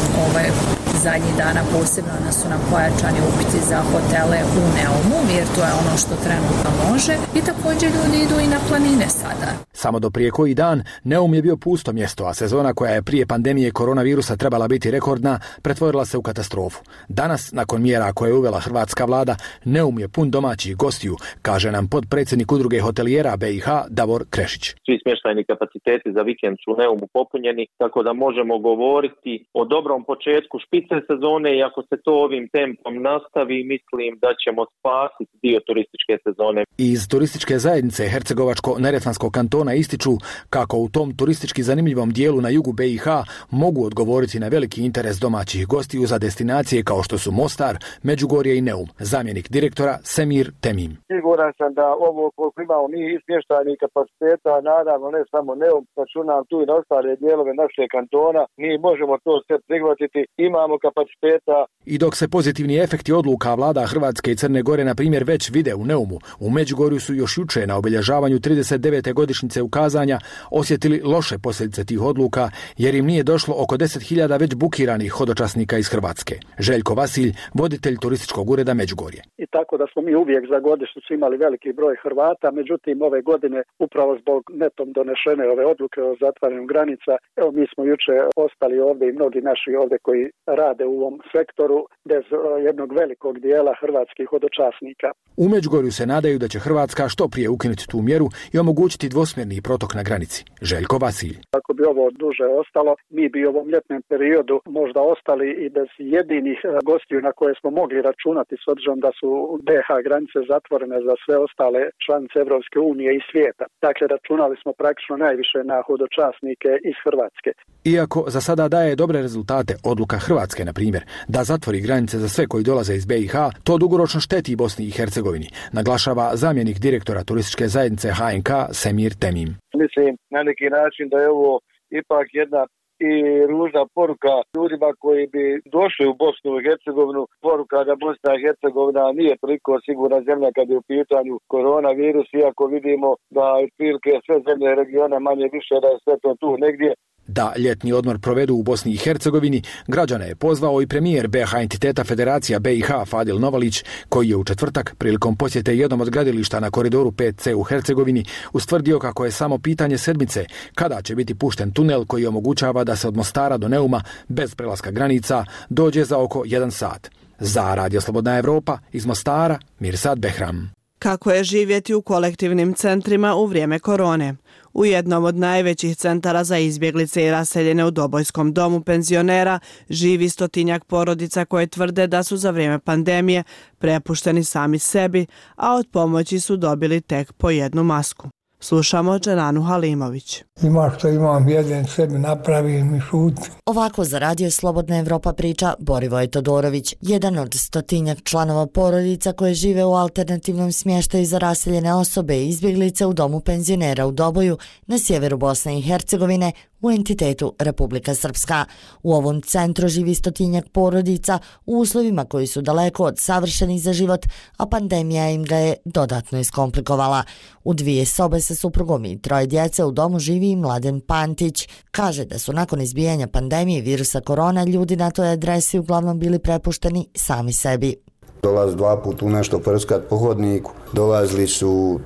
zadnjih dana posebno su nam pojačani upiti za hotele u Neumu, jer to je ono što trenutno može. I također ljudi idu i na planine sada. Samo do prije koji dan Neum je bio pusto mjesto, a sezona koja je prije pandemije koronavirusa trebala biti rekordna, pretvorila se u katastrofu. Danas, nakon mjera koje je uvela hrvatska vlada, Neum je pun domaćih gostiju, kaže nam potpredsjednik udruge hotelijera BiH Davor Krešić. Svi smještajni kapaciteti za vikend su u Neumu popunjeni, tako da možemo govoriti o dobrom početku špice sezone i ako se to ovim tempom nastavi, mislim da ćemo spasiti dio turističke sezone. Iz turističke zajednice Hercegovačko-neretvanskog kantona ističu kako u tom turistički zanimljivom dijelu na jugu BiH mogu odgovoriti na veliki interes domaćih gostiju za destinacije kao što su Mostar, Međugorje i Neum. Zamjenik direktora Semir Temim. Siguran sam da ovo koliko imamo mi smještajnih kapaciteta, naravno ne samo Neum, računam tu i na ostale dijelove našeg kantona, mi možemo to sve prihvatiti, imamo kapaciteta. I dok se pozitivni efekti odluka vlada Hrvatske i Crne Gore na primjer već vide u Neumu, u Međugorju su još juče na obilježavanju 39. godišnjice ukazanja osjetili loše posljedice tih odluka jer im nije došlo oko 10.000 već bukiranih hodočasnika iz Hrvatske. Željko Vasilj, voditelj turističkog ureda Međugorje. I tako da smo mi uvijek za godišnjicu imali veliki broj Hrvata, međutim ove godine upravo zbog netom donešene ove odluke o zatvaranju granica, evo mi smo juče ostali ovdje i mnogi naši ovdje koji rade u ovom sektoru bez jednog velikog dijela hrvatskih hodočasnika. U Međugorju se nadaju da će Hrvatska što prije ukinuti tu mjeru i omogućiti dvosmjerni protok na granici. Željko Vasilj. Ako bi ovo duže ostalo, mi bi u ovom ljetnom periodu možda ostali i bez jedinih gostiju na koje smo mogli računati s obzirom da su BiH granice zatvorene za sve ostale članice Evropske unije i svijeta. Dakle, računali smo praktično najviše na hodočasnike iz Hrvatske. Iako za sada daje dobre rezultate odluka Hrvatske, na primjer, da zatvori granice za sve koji dolaze iz BiH, to dugoročno šteti Bosni i Hercegovini, naglašava zamjenik direktora turističke zajednice HNK Semir Temim. Mislim na neki način da je ovo ipak jedna i ružna poruka ljudima koji bi došli u Bosnu i Hercegovinu, poruka da Bosna i Hercegovina nije toliko sigurna zemlja kad je u pitanju koronavirus, iako vidimo da otprilike sve zemlje regiona manje više da je sve to tu negdje. Da ljetni odmor provedu u Bosni i Hercegovini, građane je pozvao i premijer BiH entiteta Federacija BiH Fadil Novalić, koji je u četvrtak prilikom posjete jednom od gradilišta na koridoru 5C u Hercegovini ustvrdio kako je samo pitanje sedmice kada će biti pušten tunel koji omogućava da se od Mostara do Neuma bez prelaska granica dođe za oko 1 sat. Za Radio Slobodna Evropa iz Mostara, Mirsad Behram. Kako je živjeti u kolektivnim centrima u vrijeme korone? U jednom od najvećih centara za izbjeglice i raseljene u Dobojskom domu penzionera živi 100-tinjak porodica koje tvrde da su za vrijeme pandemije prepušteni sami sebi, a od pomoći su dobili tek po jednu masku. Slušamo Dženanu Halimović. Ima što imam, jedan sebi napravim i šutim. Ovako za Radio Slobodna Evropa priča Borivoj Todorović, jedan od 100-tinjak članova porodica koje žive u alternativnom smještaju za raseljene osobe i izbjeglice u domu penzionera u Doboju na sjeveru Bosne i Hercegovine u entitetu Republika Srpska. U ovom centru živi 100-tinjak porodica u uslovima koji su daleko od savršenih za život, a pandemija im ga je dodatno iskomplikovala. U 2 sobe sa suprugom i 3 djece u domu živi i Mladen Pantić. Kaže da su nakon izbijanja pandemije virusa korona ljudi na toj adresi uglavnom bili prepušteni sami sebi. Dolazi 2 puta u nešto prskat po hodniku, dolazili su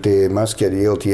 te maske dijeliti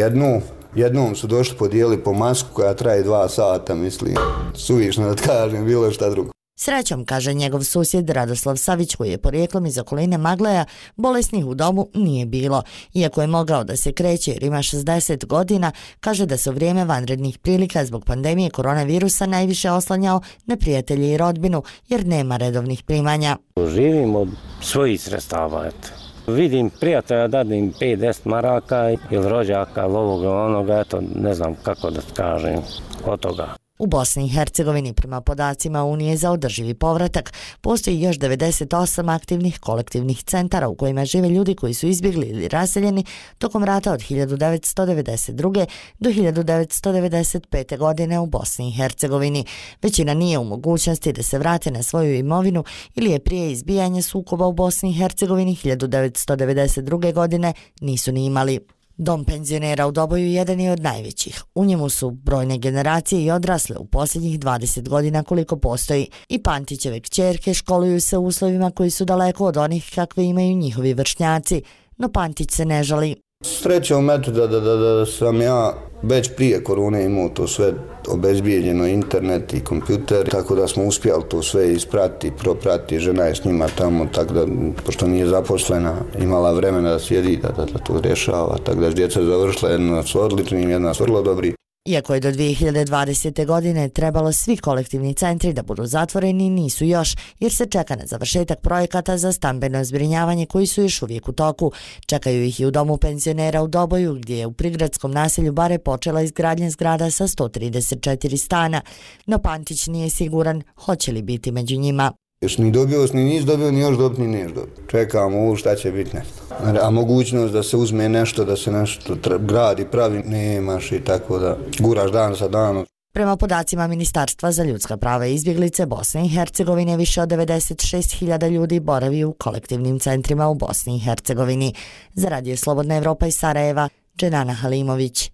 jednom su došli podijeli po masku koja traje 2 sata, mislim, suvišno da kažem, bilo šta drugo. Srećom, kaže njegov susjed Radoslav Savić, koji je porijeklom iz okoline Magleja, bolesnih u domu nije bilo. Iako je mogao da se kreće jer ima 60 godina, kaže da se u vrijeme vanrednih prilika zbog pandemije koronavirusa najviše oslanjao na prijatelje i rodbinu jer nema redovnih primanja. Živim od svojih sredstava, eto. Vidim prijatelja, dadim 5-10 maraka ili rođaka, ovoga, onoga, eto, ne znam kako da kažem od toga. U Bosni i Hercegovini, prema podacima Unije za održivi povratak, postoji još 98 aktivnih kolektivnih centara u kojima žive ljudi koji su izbjegli ili raseljeni tokom rata od 1992. do 1995. godine u Bosni i Hercegovini. Većina nije u mogućnosti da se vrate na svoju imovinu ili je prije izbijanja sukoba u Bosni i Hercegovini 1992. godine nisu ni imali. Dom penzionera u Doboju jedan je od najvećih. U njemu su brojne generacije i odrasle u posljednjih 20 godina koliko postoji. I Pantićeve kćerke školuju se u uslovima koji su daleko od onih kakve imaju njihovi vršnjaci, no Pantić se ne žali. Srećom da sam ja već prije korone imao to sve obezbijeđeno, internet i kompjuter, tako da smo uspjeli to sve ispratiti, propratiti, žena je s njima tamo, tako da, pošto nije zaposlena, imala vremena da sjedi, da to rješava, tako da djeca završila, jedna su odlični, jedna su vrlo dobri. Iako je do 2020. godine trebalo svi kolektivni centri da budu zatvoreni, nisu još, jer se čeka na završetak projekata za stambeno zbrinjavanje koji su još uvijek u toku. Čekaju ih i u domu penzionera u Doboju, gdje je u prigradskom naselju Bare počela izgradnja zgrada sa 134 stana, no Pantić nije siguran hoće li biti među njima. Još ni dobio, ni nis dobio, ni još dobiti, ni neš dobiti. Čekamo ovo šta će biti nešto. A mogućnost da se uzme nešto, da se nešto gradi, pravi, nemaš i tako da guraš dan sa danom. Prema podacima Ministarstva za ljudska prava i izbjeglice Bosne i Hercegovine, više od 96.000 ljudi boravi u kolektivnim centrima u Bosni i Hercegovini. Za Radio Slobodna Evropa iz Sarajeva, Dženana Halimović.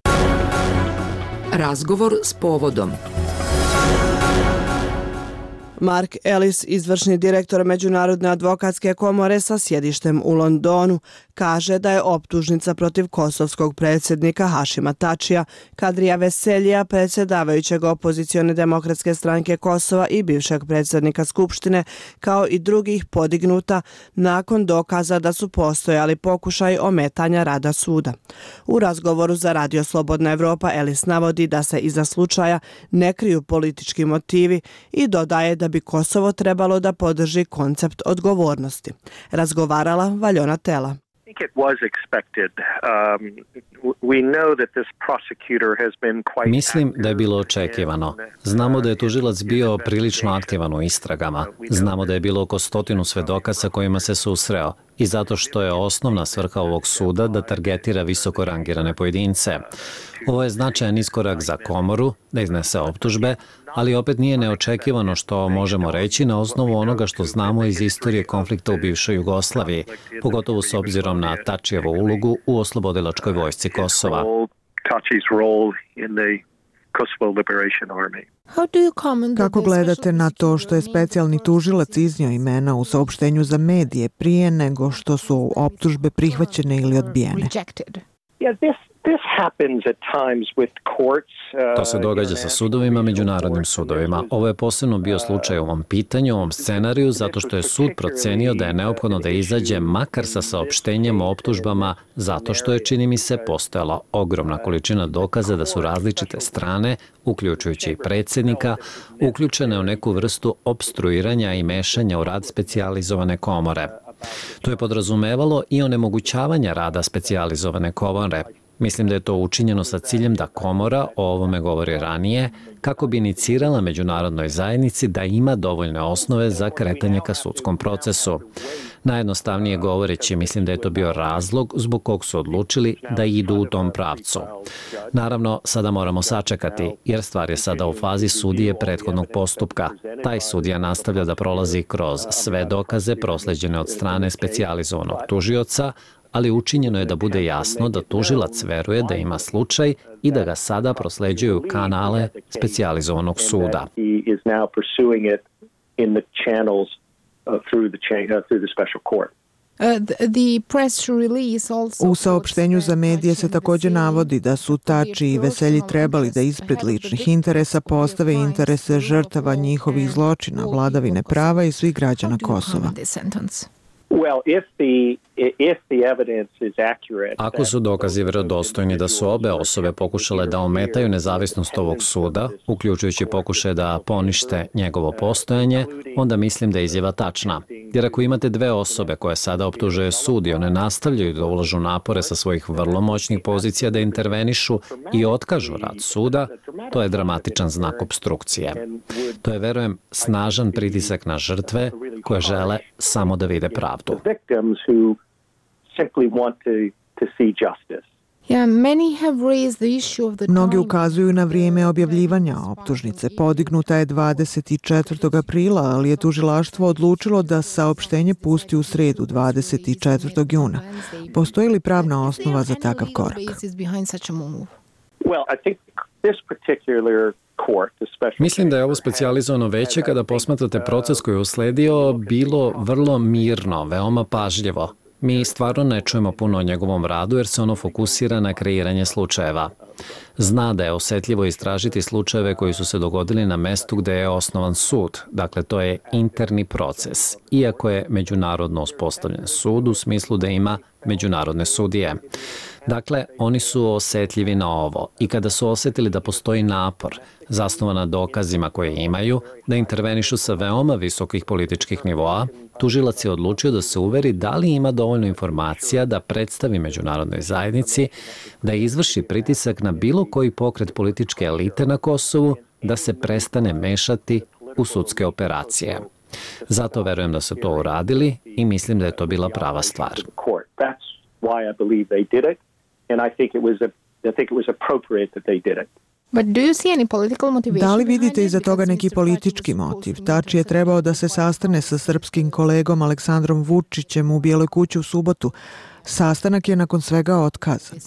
Razgovor s povodom. Mark Ellis, izvršni direktor Međunarodne advokatske komore sa sjedištem u Londonu, kaže da je optužnica protiv kosovskog predsjednika Hašima Tačija, Kadrija Veseljija, predsjedavajućeg opozicione demokratske stranke Kosova i bivšeg predsjednika Skupštine, kao i drugih podignuta nakon dokaza da su postojali pokušaj ometanja rada suda. U razgovoru za Radio Slobodna Evropa Ellis navodi da se iza slučaja ne kriju politički motivi i dodaje da bi Kosovo trebalo da podrži koncept odgovornosti. Razgovarala Valjona Tela. Mislim da je bilo očekivano. Znamo da je tužilac bio prilično aktivan u istragama. Znamo da je bilo oko 100 svedoka sa kojima se susreo i zato što je osnovna svrha ovog suda da targetira visoko rangirane pojedince. Ovo je značajan iskorak za komoru da iznese optužbe, ali opet nije neočekivano što možemo reći na osnovu onoga što znamo iz istorije konflikta u bivšoj Jugoslaviji, pogotovo s obzirom na Tačijevu ulogu u oslobodilačkoj vojsci Kosova. Kako gledate na to što je specijalni tužilac iznio imena u saopštenju za medije prije nego što su optužbe prihvaćene ili odbijene? To se događa sa sudovima, međunarodnim sudovima. Ovo je posebno bio slučaj u ovom pitanju, u ovom scenariju, zato što je sud procenio da je neophodno da izađe makar sa saopštenjem o optužbama, zato što je, čini mi se, postojala ogromna količina dokaza da su različite strane, uključujući i predsjednika, uključene u neku vrstu opstruiranja i mešanja u rad specijalizovane komore. To je podrazumevalo i onemogućavanja rada specijalizovane komore. Mislim da je to učinjeno sa ciljem da komora, o ovome govori ranije, kako bi inicirala međunarodnoj zajednici da ima dovoljne osnove za kretanje ka sudskom procesu. Najjednostavnije govoreći, mislim da je to bio razlog zbog kog su odlučili da idu u tom pravcu. Naravno, sada moramo sačekati, jer stvar je sada u fazi sudije prethodnog postupka. Taj sudija nastavlja da prolazi kroz sve dokaze prosleđene od strane specijalizovanog tužioca, ali učinjeno je da bude jasno da tužilac veruje da ima slučaj i da ga sada prosleđuju kanale specijalizovanog suda. U saopštenju za medije se također navodi da su Tači i Veselji trebali da ispred ličnih interesa postave interese žrtava njihovih zločina, vladavine prava i svih građana Kosova. Ako su dokazi vjerodostojni da su obe osobe pokušale da ometaju nezavisnost ovog suda, uključujući pokušaj da ponište njegovo postojanje, onda mislim da je izjava tačna. Jer ako imate dve osobe koje sada optužuje sud i one nastavljaju da ulažu napore sa svojih vrlo moćnih pozicija da intervenišu i otkažu rad suda, to je dramatičan znak opstrukcije. To je, verujem, snažan pritisak na žrtve koje žele samo da vide pravdu. Mnogi ukazuju na vrijeme objavljivanja optužnice. Podignuta je 24. aprila, ali je tužilaštvo odlučilo da saopštenje pusti u sredu 24. juna. Postoji li pravna osnova za takav korak? Mislim da je ovo specijalizovano veće kada posmatrate proces koji je usledio bilo vrlo mirno, veoma pažljivo. Mi stvarno ne čujemo puno o njegovom radu jer se ono fokusira na kreiranje slučajeva. Zna da je osjetljivo istražiti slučajeve koji su se dogodili na mestu gde je osnovan sud. Dakle, to je interni proces, iako je međunarodno uspostavljen sud u smislu da ima međunarodne sudije. Dakle, oni su osjetljivi na ovo i kada su osjetili da postoji napor, zasnovan na dokazima koje imaju, da intervenišu sa veoma visokih političkih nivoa, tužilac je odlučio da se uveri da li ima dovoljno informacija da predstavi međunarodnoj zajednici, da izvrši pritisak na bilo koji pokret političke elite na Kosovu, da se prestane mešati u sudske operacije. Zato verujem da su to uradili i mislim da je to bila prava stvar. Da li vidite iza toga neki politički motiv? Tači je trebao da se sastane sa srpskim kolegom Aleksandrom Vučićem u Bijeloj kući u subotu. Sastanak je nakon svega otkazan.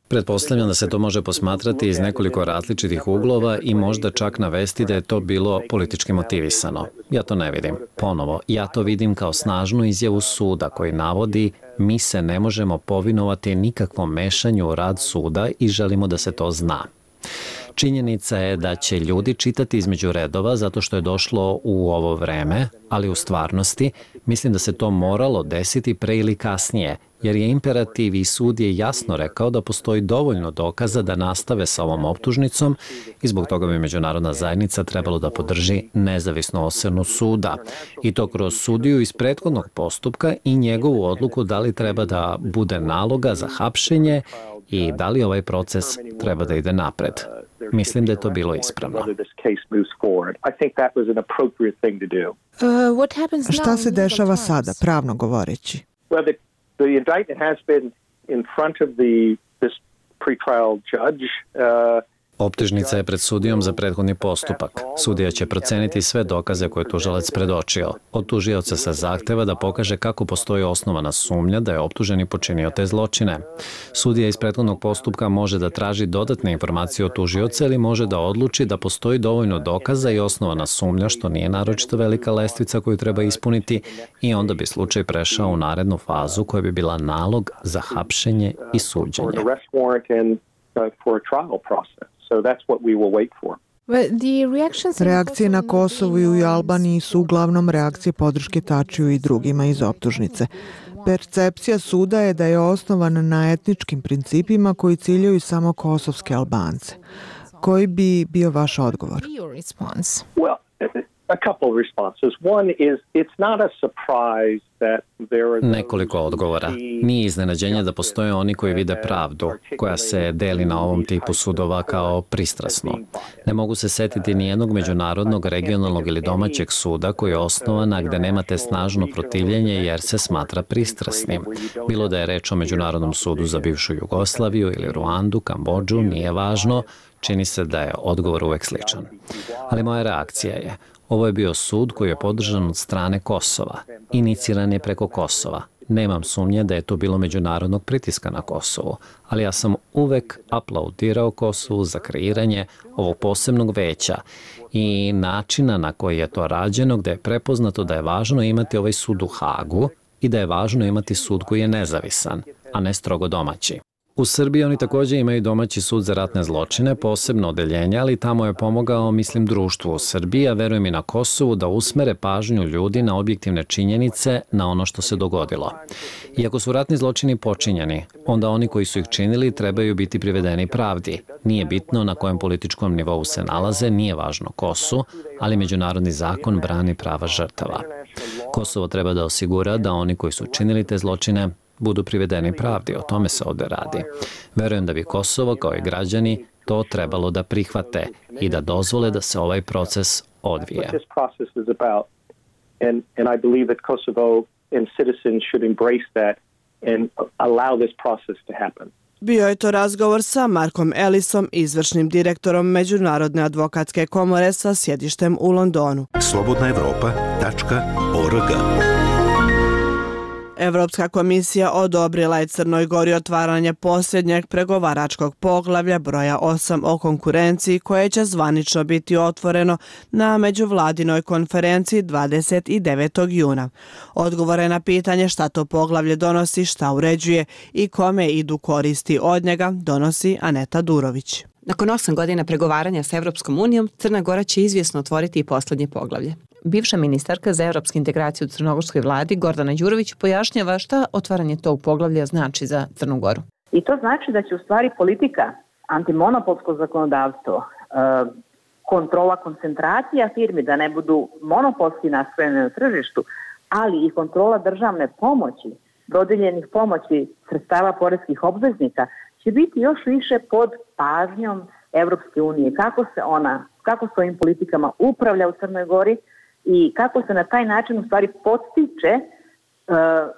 Pretpostavljam da se to može posmatrati iz nekoliko različitih uglova i možda čak navesti da je to bilo politički motivisano. Ja to ne vidim. Ponovo, ja to vidim kao snažnu izjavu suda koji navodi mi se ne možemo povinovati nikakvom mešanju u rad suda i želimo da se to zna. Činjenica je da će ljudi čitati između redova zato što je došlo u ovo vreme, ali u stvarnosti mislim da se to moralo desiti pre ili kasnije, jer je imperativ i sud je jasno rekao da postoji dovoljno dokaza da nastave sa ovom optužnicom i zbog toga bi međunarodna zajednica trebalo da podrži nezavisnu ocenu suda. I to kroz sudiju iz prethodnog postupka i njegovu odluku da li treba da bude naloga za hapšenje i da li ovaj proces treba da ide napred. Mislim da je to bilo ispravno. Šta se dešava sada, pravno govoreći? The indictment has been in front of this pretrial judge. Optužnica je pred sudijom za prethodni postupak. Sudija će proceniti sve dokaze koje je tužilac predočio. Od tužioca se zahteva da pokaže kako postoji osnovana sumnja da je optuženi počinio te zločine. Sudija iz prethodnog postupka može da traži dodatne informacije od tužioca ili može da odluči da postoji dovoljno dokaza i osnovana sumnja, što nije naročito velika lestvica koju treba ispuniti, i onda bi slučaj prešao u narednu fazu koja bi bila nalog za hapšenje i suđenje. Reakcije na Kosovu i u Albaniji su uglavnom reakcije podrške Tačiju i drugima iz optužnice. Percepcija suda je da je osnovan na etničkim principima koji ciljaju samo kosovske Albance. Koji bi bio vaš odgovor? Nekoliko odgovora. Nije iznenađenje da postoje oni koji vide pravdu, koja se deli na ovom tipu sudova kao pristrasno. Ne mogu se setiti nijednog međunarodnog, regionalnog ili domaćeg suda koji je osnovan, a gde nemate snažno protivljenje jer se smatra pristrasnim. Bilo da je reč o Međunarodnom sudu za bivšu Jugoslaviju ili Ruandu, Kambodžu, nije važno, čini se da je odgovor uvek sličan. Ali moja reakcija je: ovo je bio sud koji je podržan od strane Kosova. Iniciran je preko Kosova. Nemam sumnje da je to bilo međunarodnog pritiska na Kosovu, ali ja sam uvek aplaudirao Kosovu za kreiranje ovog posebnog veća i načina na koji je to rađeno, gde je prepoznato da je važno imati ovaj sud u Hagu i da je važno imati sud koji je nezavisan, a ne strogo domaći. U Srbiji oni također imaju domaći sud za ratne zločine, posebno odeljenje, ali tamo je pomogao, mislim, društvu u Srbiji, a verujem i na Kosovu, da usmere pažnju ljudi na objektivne činjenice, na ono što se dogodilo. Iako su ratni zločini počinjeni, onda oni koji su ih činili trebaju biti privedeni pravdi. Nije bitno na kojem političkom nivou se nalaze, nije važno ko su, ali međunarodni zakon brani prava žrtava. Kosovo treba da osigura da oni koji su činili te zločine budu privedeni pravdi, o tome se ovde radi. Verujem da bi Kosovo, kao i građani, to trebalo da prihvate i da dozvole da se ovaj proces odvije. and allow this process to happen. Bio je to razgovor sa Markom Ellisom, izvršnim direktorom Međunarodne advokatske komore sa sjedištem u Londonu. slobodnaevropa.org. Evropska komisija odobrila je Crnoj Gori otvaranje posljednjeg pregovaračkog poglavlja broja 8 o konkurenciji koje će zvanično biti otvoreno na međuvladinoj konferenciji 29. juna. Odgovore na pitanje šta to poglavlje donosi, šta uređuje i kome idu koristi od njega, donosi Aneta Durović. Nakon 8 godina pregovaranja sa Evropskom unijom, Crna Gora će izvjesno otvoriti i posljednje poglavlje. Bivša ministarka za evropsku integraciju u crnogorskoj vladi Gordana Đurović pojašnjava šta otvaranje tog poglavlja znači za Crnu Goru. I to znači da će u stvari politika, antimonopolsko zakonodavstvo, kontrola koncentracija firmi da ne budu monopolski nastrojene na tržištu, ali i kontrola državne pomoći, dodijeljenih pomoći sredstava poreskih obveznika će biti još više pod pažnjom Evropske unije. Kako s ovim politikama upravlja u Crnoj Gori i kako se na taj način u stvari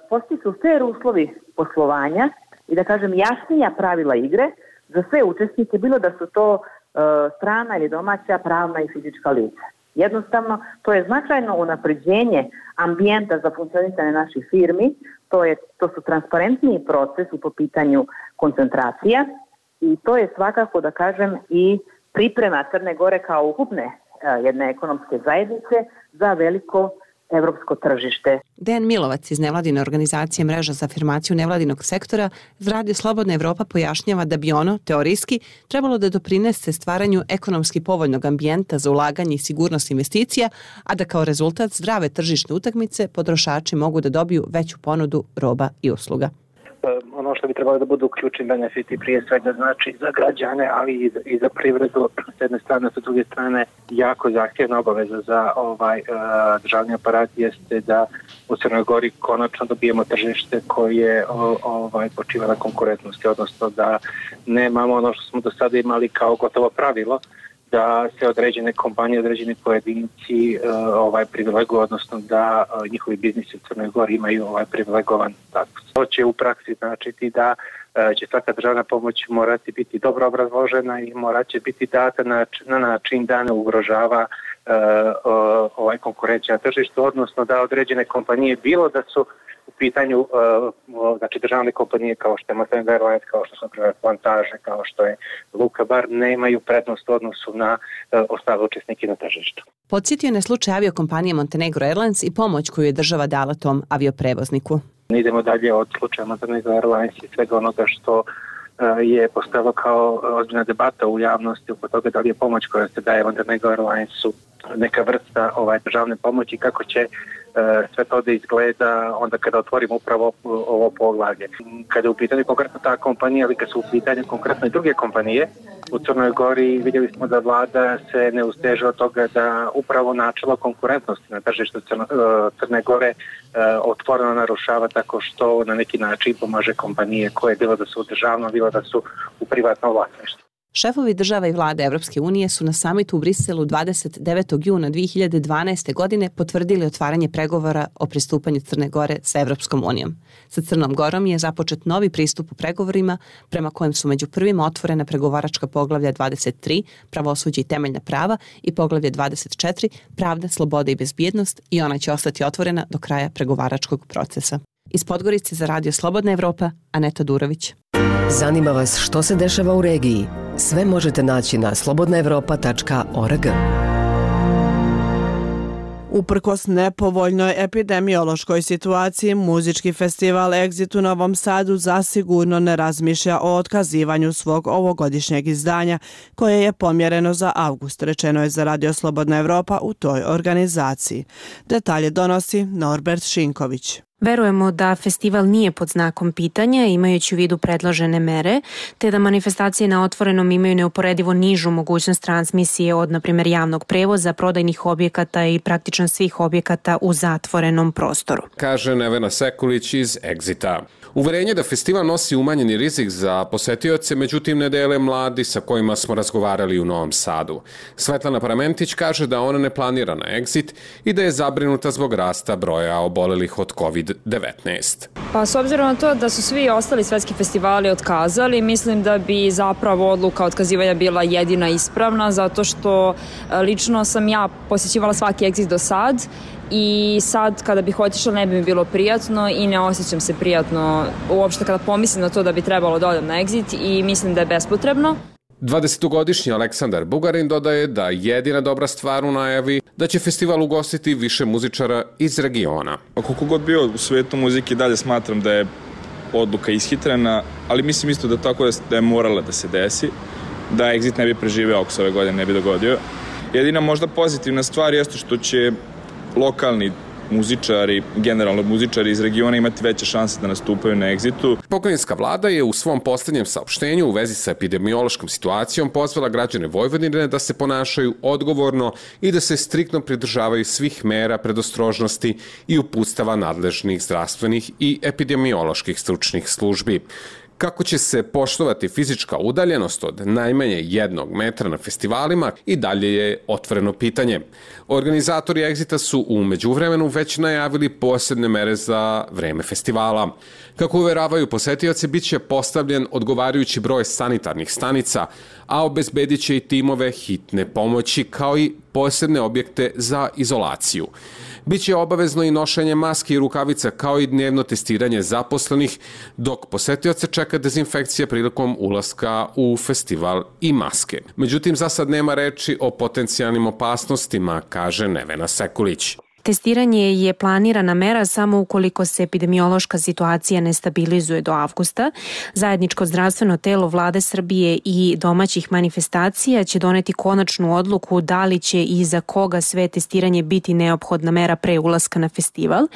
postiču fair uslovi poslovanja i da kažem jasnija pravila igre za sve učesnike, bilo da su to strana ili domaća, pravna i fizička lica. Jednostavno, to je značajno unapređenje ambijenta za funkcionisanje naših firmi, to su transparentniji procesi po pitanju koncentracija i to je svakako, da kažem, i priprema Crne Gore kao ukupne jedne ekonomske zajednice za veliko evropsko tržište. Dejan Milovac iz nevladine organizacije Mreža za afirmaciju nevladinog sektora za Radio Slobodna Evropa pojašnjava da bi ono, teorijski, trebalo da doprinese stvaranju ekonomski povoljnog ambijenta za ulaganje i sigurnost investicija, a da kao rezultat zdrave tržišne utakmice potrošači mogu da dobiju veću ponudu roba i usluga. Ono što bi trebalo da budu ključni benefiti prije svega znači za građane, ali i za privredu s jedne strane, sa druge strane jako zahtjevna obaveza za državni aparat jeste da u Crnoj Gori konačno dobijemo tržište koje počiva na konkurentnosti, odnosno da nemamo ono što smo do sada imali kao gotovo pravilo, da se određene kompanije, određeni pojedinci privileguju, odnosno da njihovi biznisi u Crnoj Gori imaju privilegovan status. To će u praksi značiti da će svaka državna pomoć morati biti dobro obrazložena i morat će biti data na način da ne ugrožava konkurencija na tržištu, odnosno da određene kompanije, bilo da su u pitanju državne kompanije kao što je Mosaic Airlines, kao što su na primjer Plantaže, kao što je Luka Bar, nemaju prednost u odnosu na ostale učesnike na tržištu. Podsjetio je na slučaj aviokompanije Montenegro Airlines i pomoć koju je država dala tom avioprevozniku. Idemo dalje od slučaja Montenegro Airlines i svega onoga što je postalo kao ozbiljna debata u javnosti oko toga da li je pomoć koja se daje Montenegro Airlinesu neka vrsta državne pomoći, kako će sve to da izgleda onda kada otvorimo upravo ovo poglavlje. Kada je u pitanju konkretno ta kompanija, ali kada su u pitanju konkretno i druge kompanije, u Crnoj Gori vidjeli smo da vlada se ne usteže od toga da upravo načelo konkurentnosti na tržištu Crne Gore otvoreno narušava tako što na neki način pomaže kompanije koje bilo da su u državnom, bilo da su u privatnom vlasništvu. Šefovi država i vlade Evropske unije su na samitu u Briselu 29. juna 2012. godine potvrdili otvaranje pregovora o pristupanju Crne Gore sa Evropskom unijom. Sa Crnom Gorom je započet novi pristup u pregovorima prema kojem su među prvima otvorena pregovaračka poglavlja 23, pravosuđe i temeljna prava, i poglavlje 24, pravda, sloboda i bezbjednost, i ona će ostati otvorena do kraja pregovaračkog procesa. Iz Podgorice za Radio Slobodna Evropa, Aneta Durović. Zanima vas što se dešava u regiji? Sve možete naći na slobodnaevropa.org. Uprkos nepovoljnoj epidemiološkoj situaciji, muzički festival Exit u Novom Sadu zasigurno ne razmišlja o otkazivanju svog ovogodišnjeg izdanja, koje je pomjereno za avgust, rečeno je za Radio Slobodna Evropa u toj organizaciji. Detalje donosi Norbert Šinković. Verujemo da festival nije pod znakom pitanja, imajući u vidu predložene mere, te da manifestacije na otvorenom imaju neuporedivo nižu mogućnost transmisije od, na primjer, javnog prevoza, prodajnih objekata i praktično svih objekata u zatvorenom prostoru. Kaže Nevena Sekulić iz Exita. Uverenje da festival nosi umanjeni rizik za posetioce, međutim ne dele mladi sa kojima smo razgovarali u Novom Sadu. Svetlana Paramentić kaže da ona ne planira na Exit i da je zabrinuta zbog rasta broja obolelih od COVID-19. COVID-19. Pa s obzirom na to da su svi ostali svetski festivali otkazali, mislim da bi zapravo odluka otkazivanja bila jedina ispravna, zato što lično sam ja posjećivala svaki Exit do sad i sad kada bih otišla ne bi mi bilo prijatno i ne osjećam se prijatno uopšte kada pomislim na to da bi trebalo da odem na Exit i mislim da je bespotrebno. 20-godišnji Aleksandar Bugarin dodaje da jedina dobra stvar u najavi da će festival ugostiti više muzičara iz regiona. Koliko god bio u svetu muzike, dalje smatram da je odluka ishitrena, ali mislim isto da tako da je morala da se desi, da Exit ne bi preživeo ako se ove godine ne bi dogodio. Jedina možda pozitivna stvar jeste što će lokalni muzičari, generalno muzičari iz regiona imati veće šanse da nastupaju na Exitu. Pokrajinska vlada je u svom posljednjem saopštenju u vezi sa epidemiološkom situacijom pozvala građane Vojvodine da se ponašaju odgovorno i da se striktno pridržavaju svih mera predostrožnosti i uputstava nadležnih zdravstvenih i epidemioloških stručnih službi. Kako će se poštovati fizička udaljenost od najmanje 1 metra na festivalima i dalje je otvoreno pitanje. Organizatori Exita su u međuvremenu već najavili posebne mere za vreme festivala. Kako uveravaju posetioci, bit će postavljen odgovarajući broj sanitarnih stanica, a obezbedit će i timove hitne pomoći kao i posebne objekte za izolaciju. Biće obavezno i nošenje maski i rukavica kao i dnevno testiranje zaposlenih, dok posetioce čeka dezinfekcija prilikom ulaska u festival i maske. Međutim, za sad nema reči o potencijalnim opasnostima, kaže Nevena Sekulić. Testiranje je planirana mera samo ukoliko se epidemiološka situacija ne stabilizuje do avgusta. Zajedničko zdravstveno telo Vlade Srbije i domaćih manifestacija će doneti konačnu odluku da li će i za koga sve testiranje biti neophodna mera pre ulaska na festival.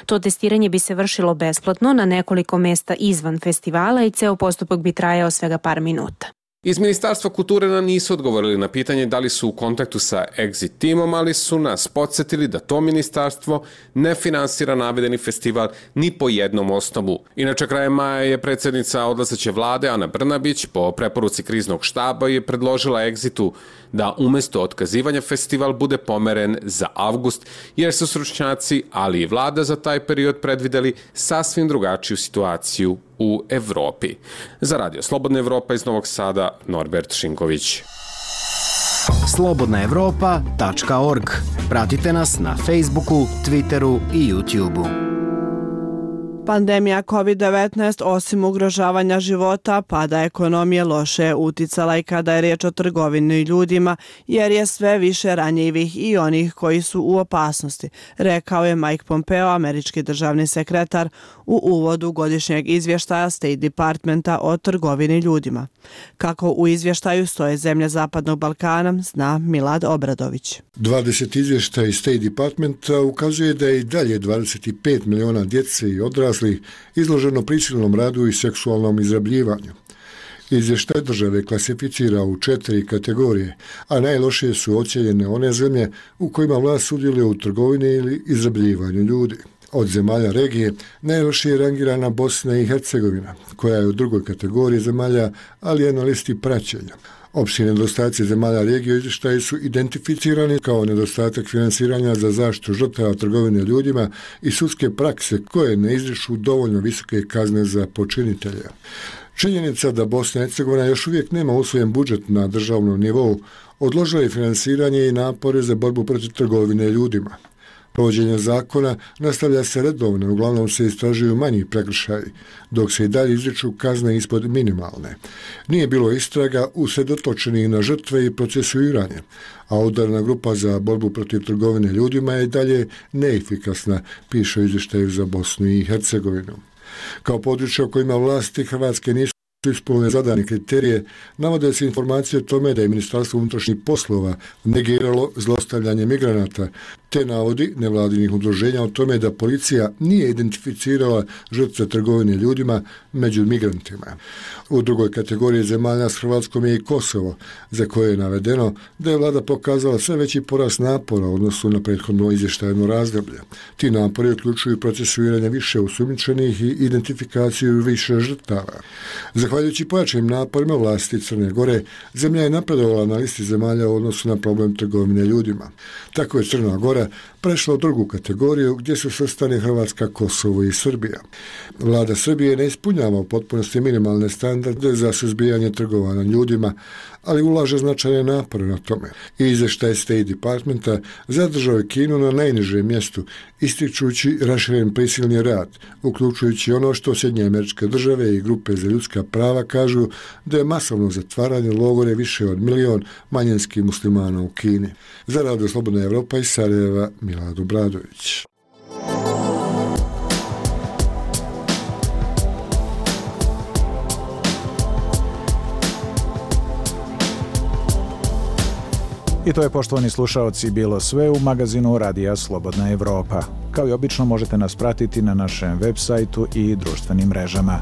To testiranje bi se vršilo besplatno na nekoliko mesta izvan festivala i ceo postupak bi trajao svega par minuta. Iz Ministarstva kulture nam nisu odgovorili na pitanje da li su u kontaktu sa Exit timom, ali su nas podsjetili da to ministarstvo ne finansira navedeni festival ni po jednom osnovu. Inače, krajem maja je predsjednica odlazeće vlade Ana Brnabić po preporuci kriznog štaba je predložila Exitu da umjesto otkazivanja festival bude pomeren za avgust, jer su stručnjaci, ali i vlada za taj period predvideli sasvim drugačiju situaciju u Evropi. Za Radio Slobodna Evropa iz Novog Sada, Norbert Šinković. slobodnaevropa.org. Pratite nas na Facebooku, Twitteru i YouTubeu. Pandemija COVID-19 osim ugrožavanja života, pada ekonomije loše uticala i kada je riječ o trgovini ljudima, jer je sve više ranjivih i onih koji su u opasnosti, rekao je Mike Pompeo, američki državni sekretar, u uvodu godišnjeg izvještaja State Departmenta o trgovini ljudima. Kako u izvještaju stoje zemlje Zapadnog Balkana, zna Milad Obradović. 20 izvještaja iz State Departmenta ukazuje da je i dalje 25 miliona djece i odraslih izloženo prisilnom radu i seksualnom izrabljivanju. Izvještaj države klasificira u 4 kategorije, a najlošije su ocijenjene one zemlje u kojima vlast sudjeluje u trgovini ili izrabljivanju ljudi. Od zemalja regije najlošije je rangirana Bosna i Hercegovina, koja je u drugoj kategoriji zemalja, ali je na listi praćenja. Opći nedostaci zemalja regije u izvještaju su identificirani kao nedostatak finansiranja za zaštitu žrtava trgovine ljudima i sudske prakse koje ne izriču dovoljno visoke kazne za počinitelja. Činjenica da Bosna i Hercegovina još uvijek nema usvojen budžet na državnom nivou odložila je finansiranje i napore za borbu protiv trgovine ljudima. Provođenje zakona nastavlja se redovno, uglavnom se istražuju manji prekršaji, dok se i dalje izriču kazne ispod minimalne. Nije bilo istraga usredotočenih na žrtve i procesuiranje, a udarna grupa za borbu protiv trgovine ljudima je i dalje neefikasna, piše u izvještaju za Bosnu i Hercegovinu. Kao područje u kojima vlasti Hrvatske nisu ispunile zadane kriterije, navode se informacije o tome da je Ministarstvo unutrašnjih poslova negiralo zlostavljanje migranata, te navodi nevladinih udruženja o tome da policija nije identificirala žrtve trgovine ljudima među migrantima. U drugoj kategoriji zemalja s Hrvatskom je i Kosovo, za koje je navedeno da je vlada pokazala sve veći porast napora u odnosu na prethodno izvještajno razdoblje. Ti napori uključuju procesuiranje više osumnjičenih i identifikaciju više žrtava. Zahvaljujući Zahvaljujući pojačanim naporima vlasti Crne Gore, zemlja je napredovala na listi zemalja u odnosu na problem trgovine ljudima. Tako je Crna Gora prešla u drugu kategoriju gdje su svrstani Hrvatska, Kosovo i Srbija. Vlada Srbije ne ispunjava u potpunosti minimalne standarde za suzbijanje trgovanja ljudima, ali ulaže značajne napore na tome. I izvještaj State Departmenta zadržao je Kinu na najnižem mjestu, ističući raširen prisilni rad, uključujući ono što Sjedinjene Američke Države i grupe za ljudska prava kažu da je masovno zatvaranje logore više od 1 milion manjinskih muslimana u Kini. Za Radio Slobodna Evropa iz Sarajeva, Milad Obradović. I to je, poštovani slušaoci, bilo sve u magazinu Radija Slobodna Evropa. Kao i obično možete nas pratiti na našem web sajtu i društvenim mrežama.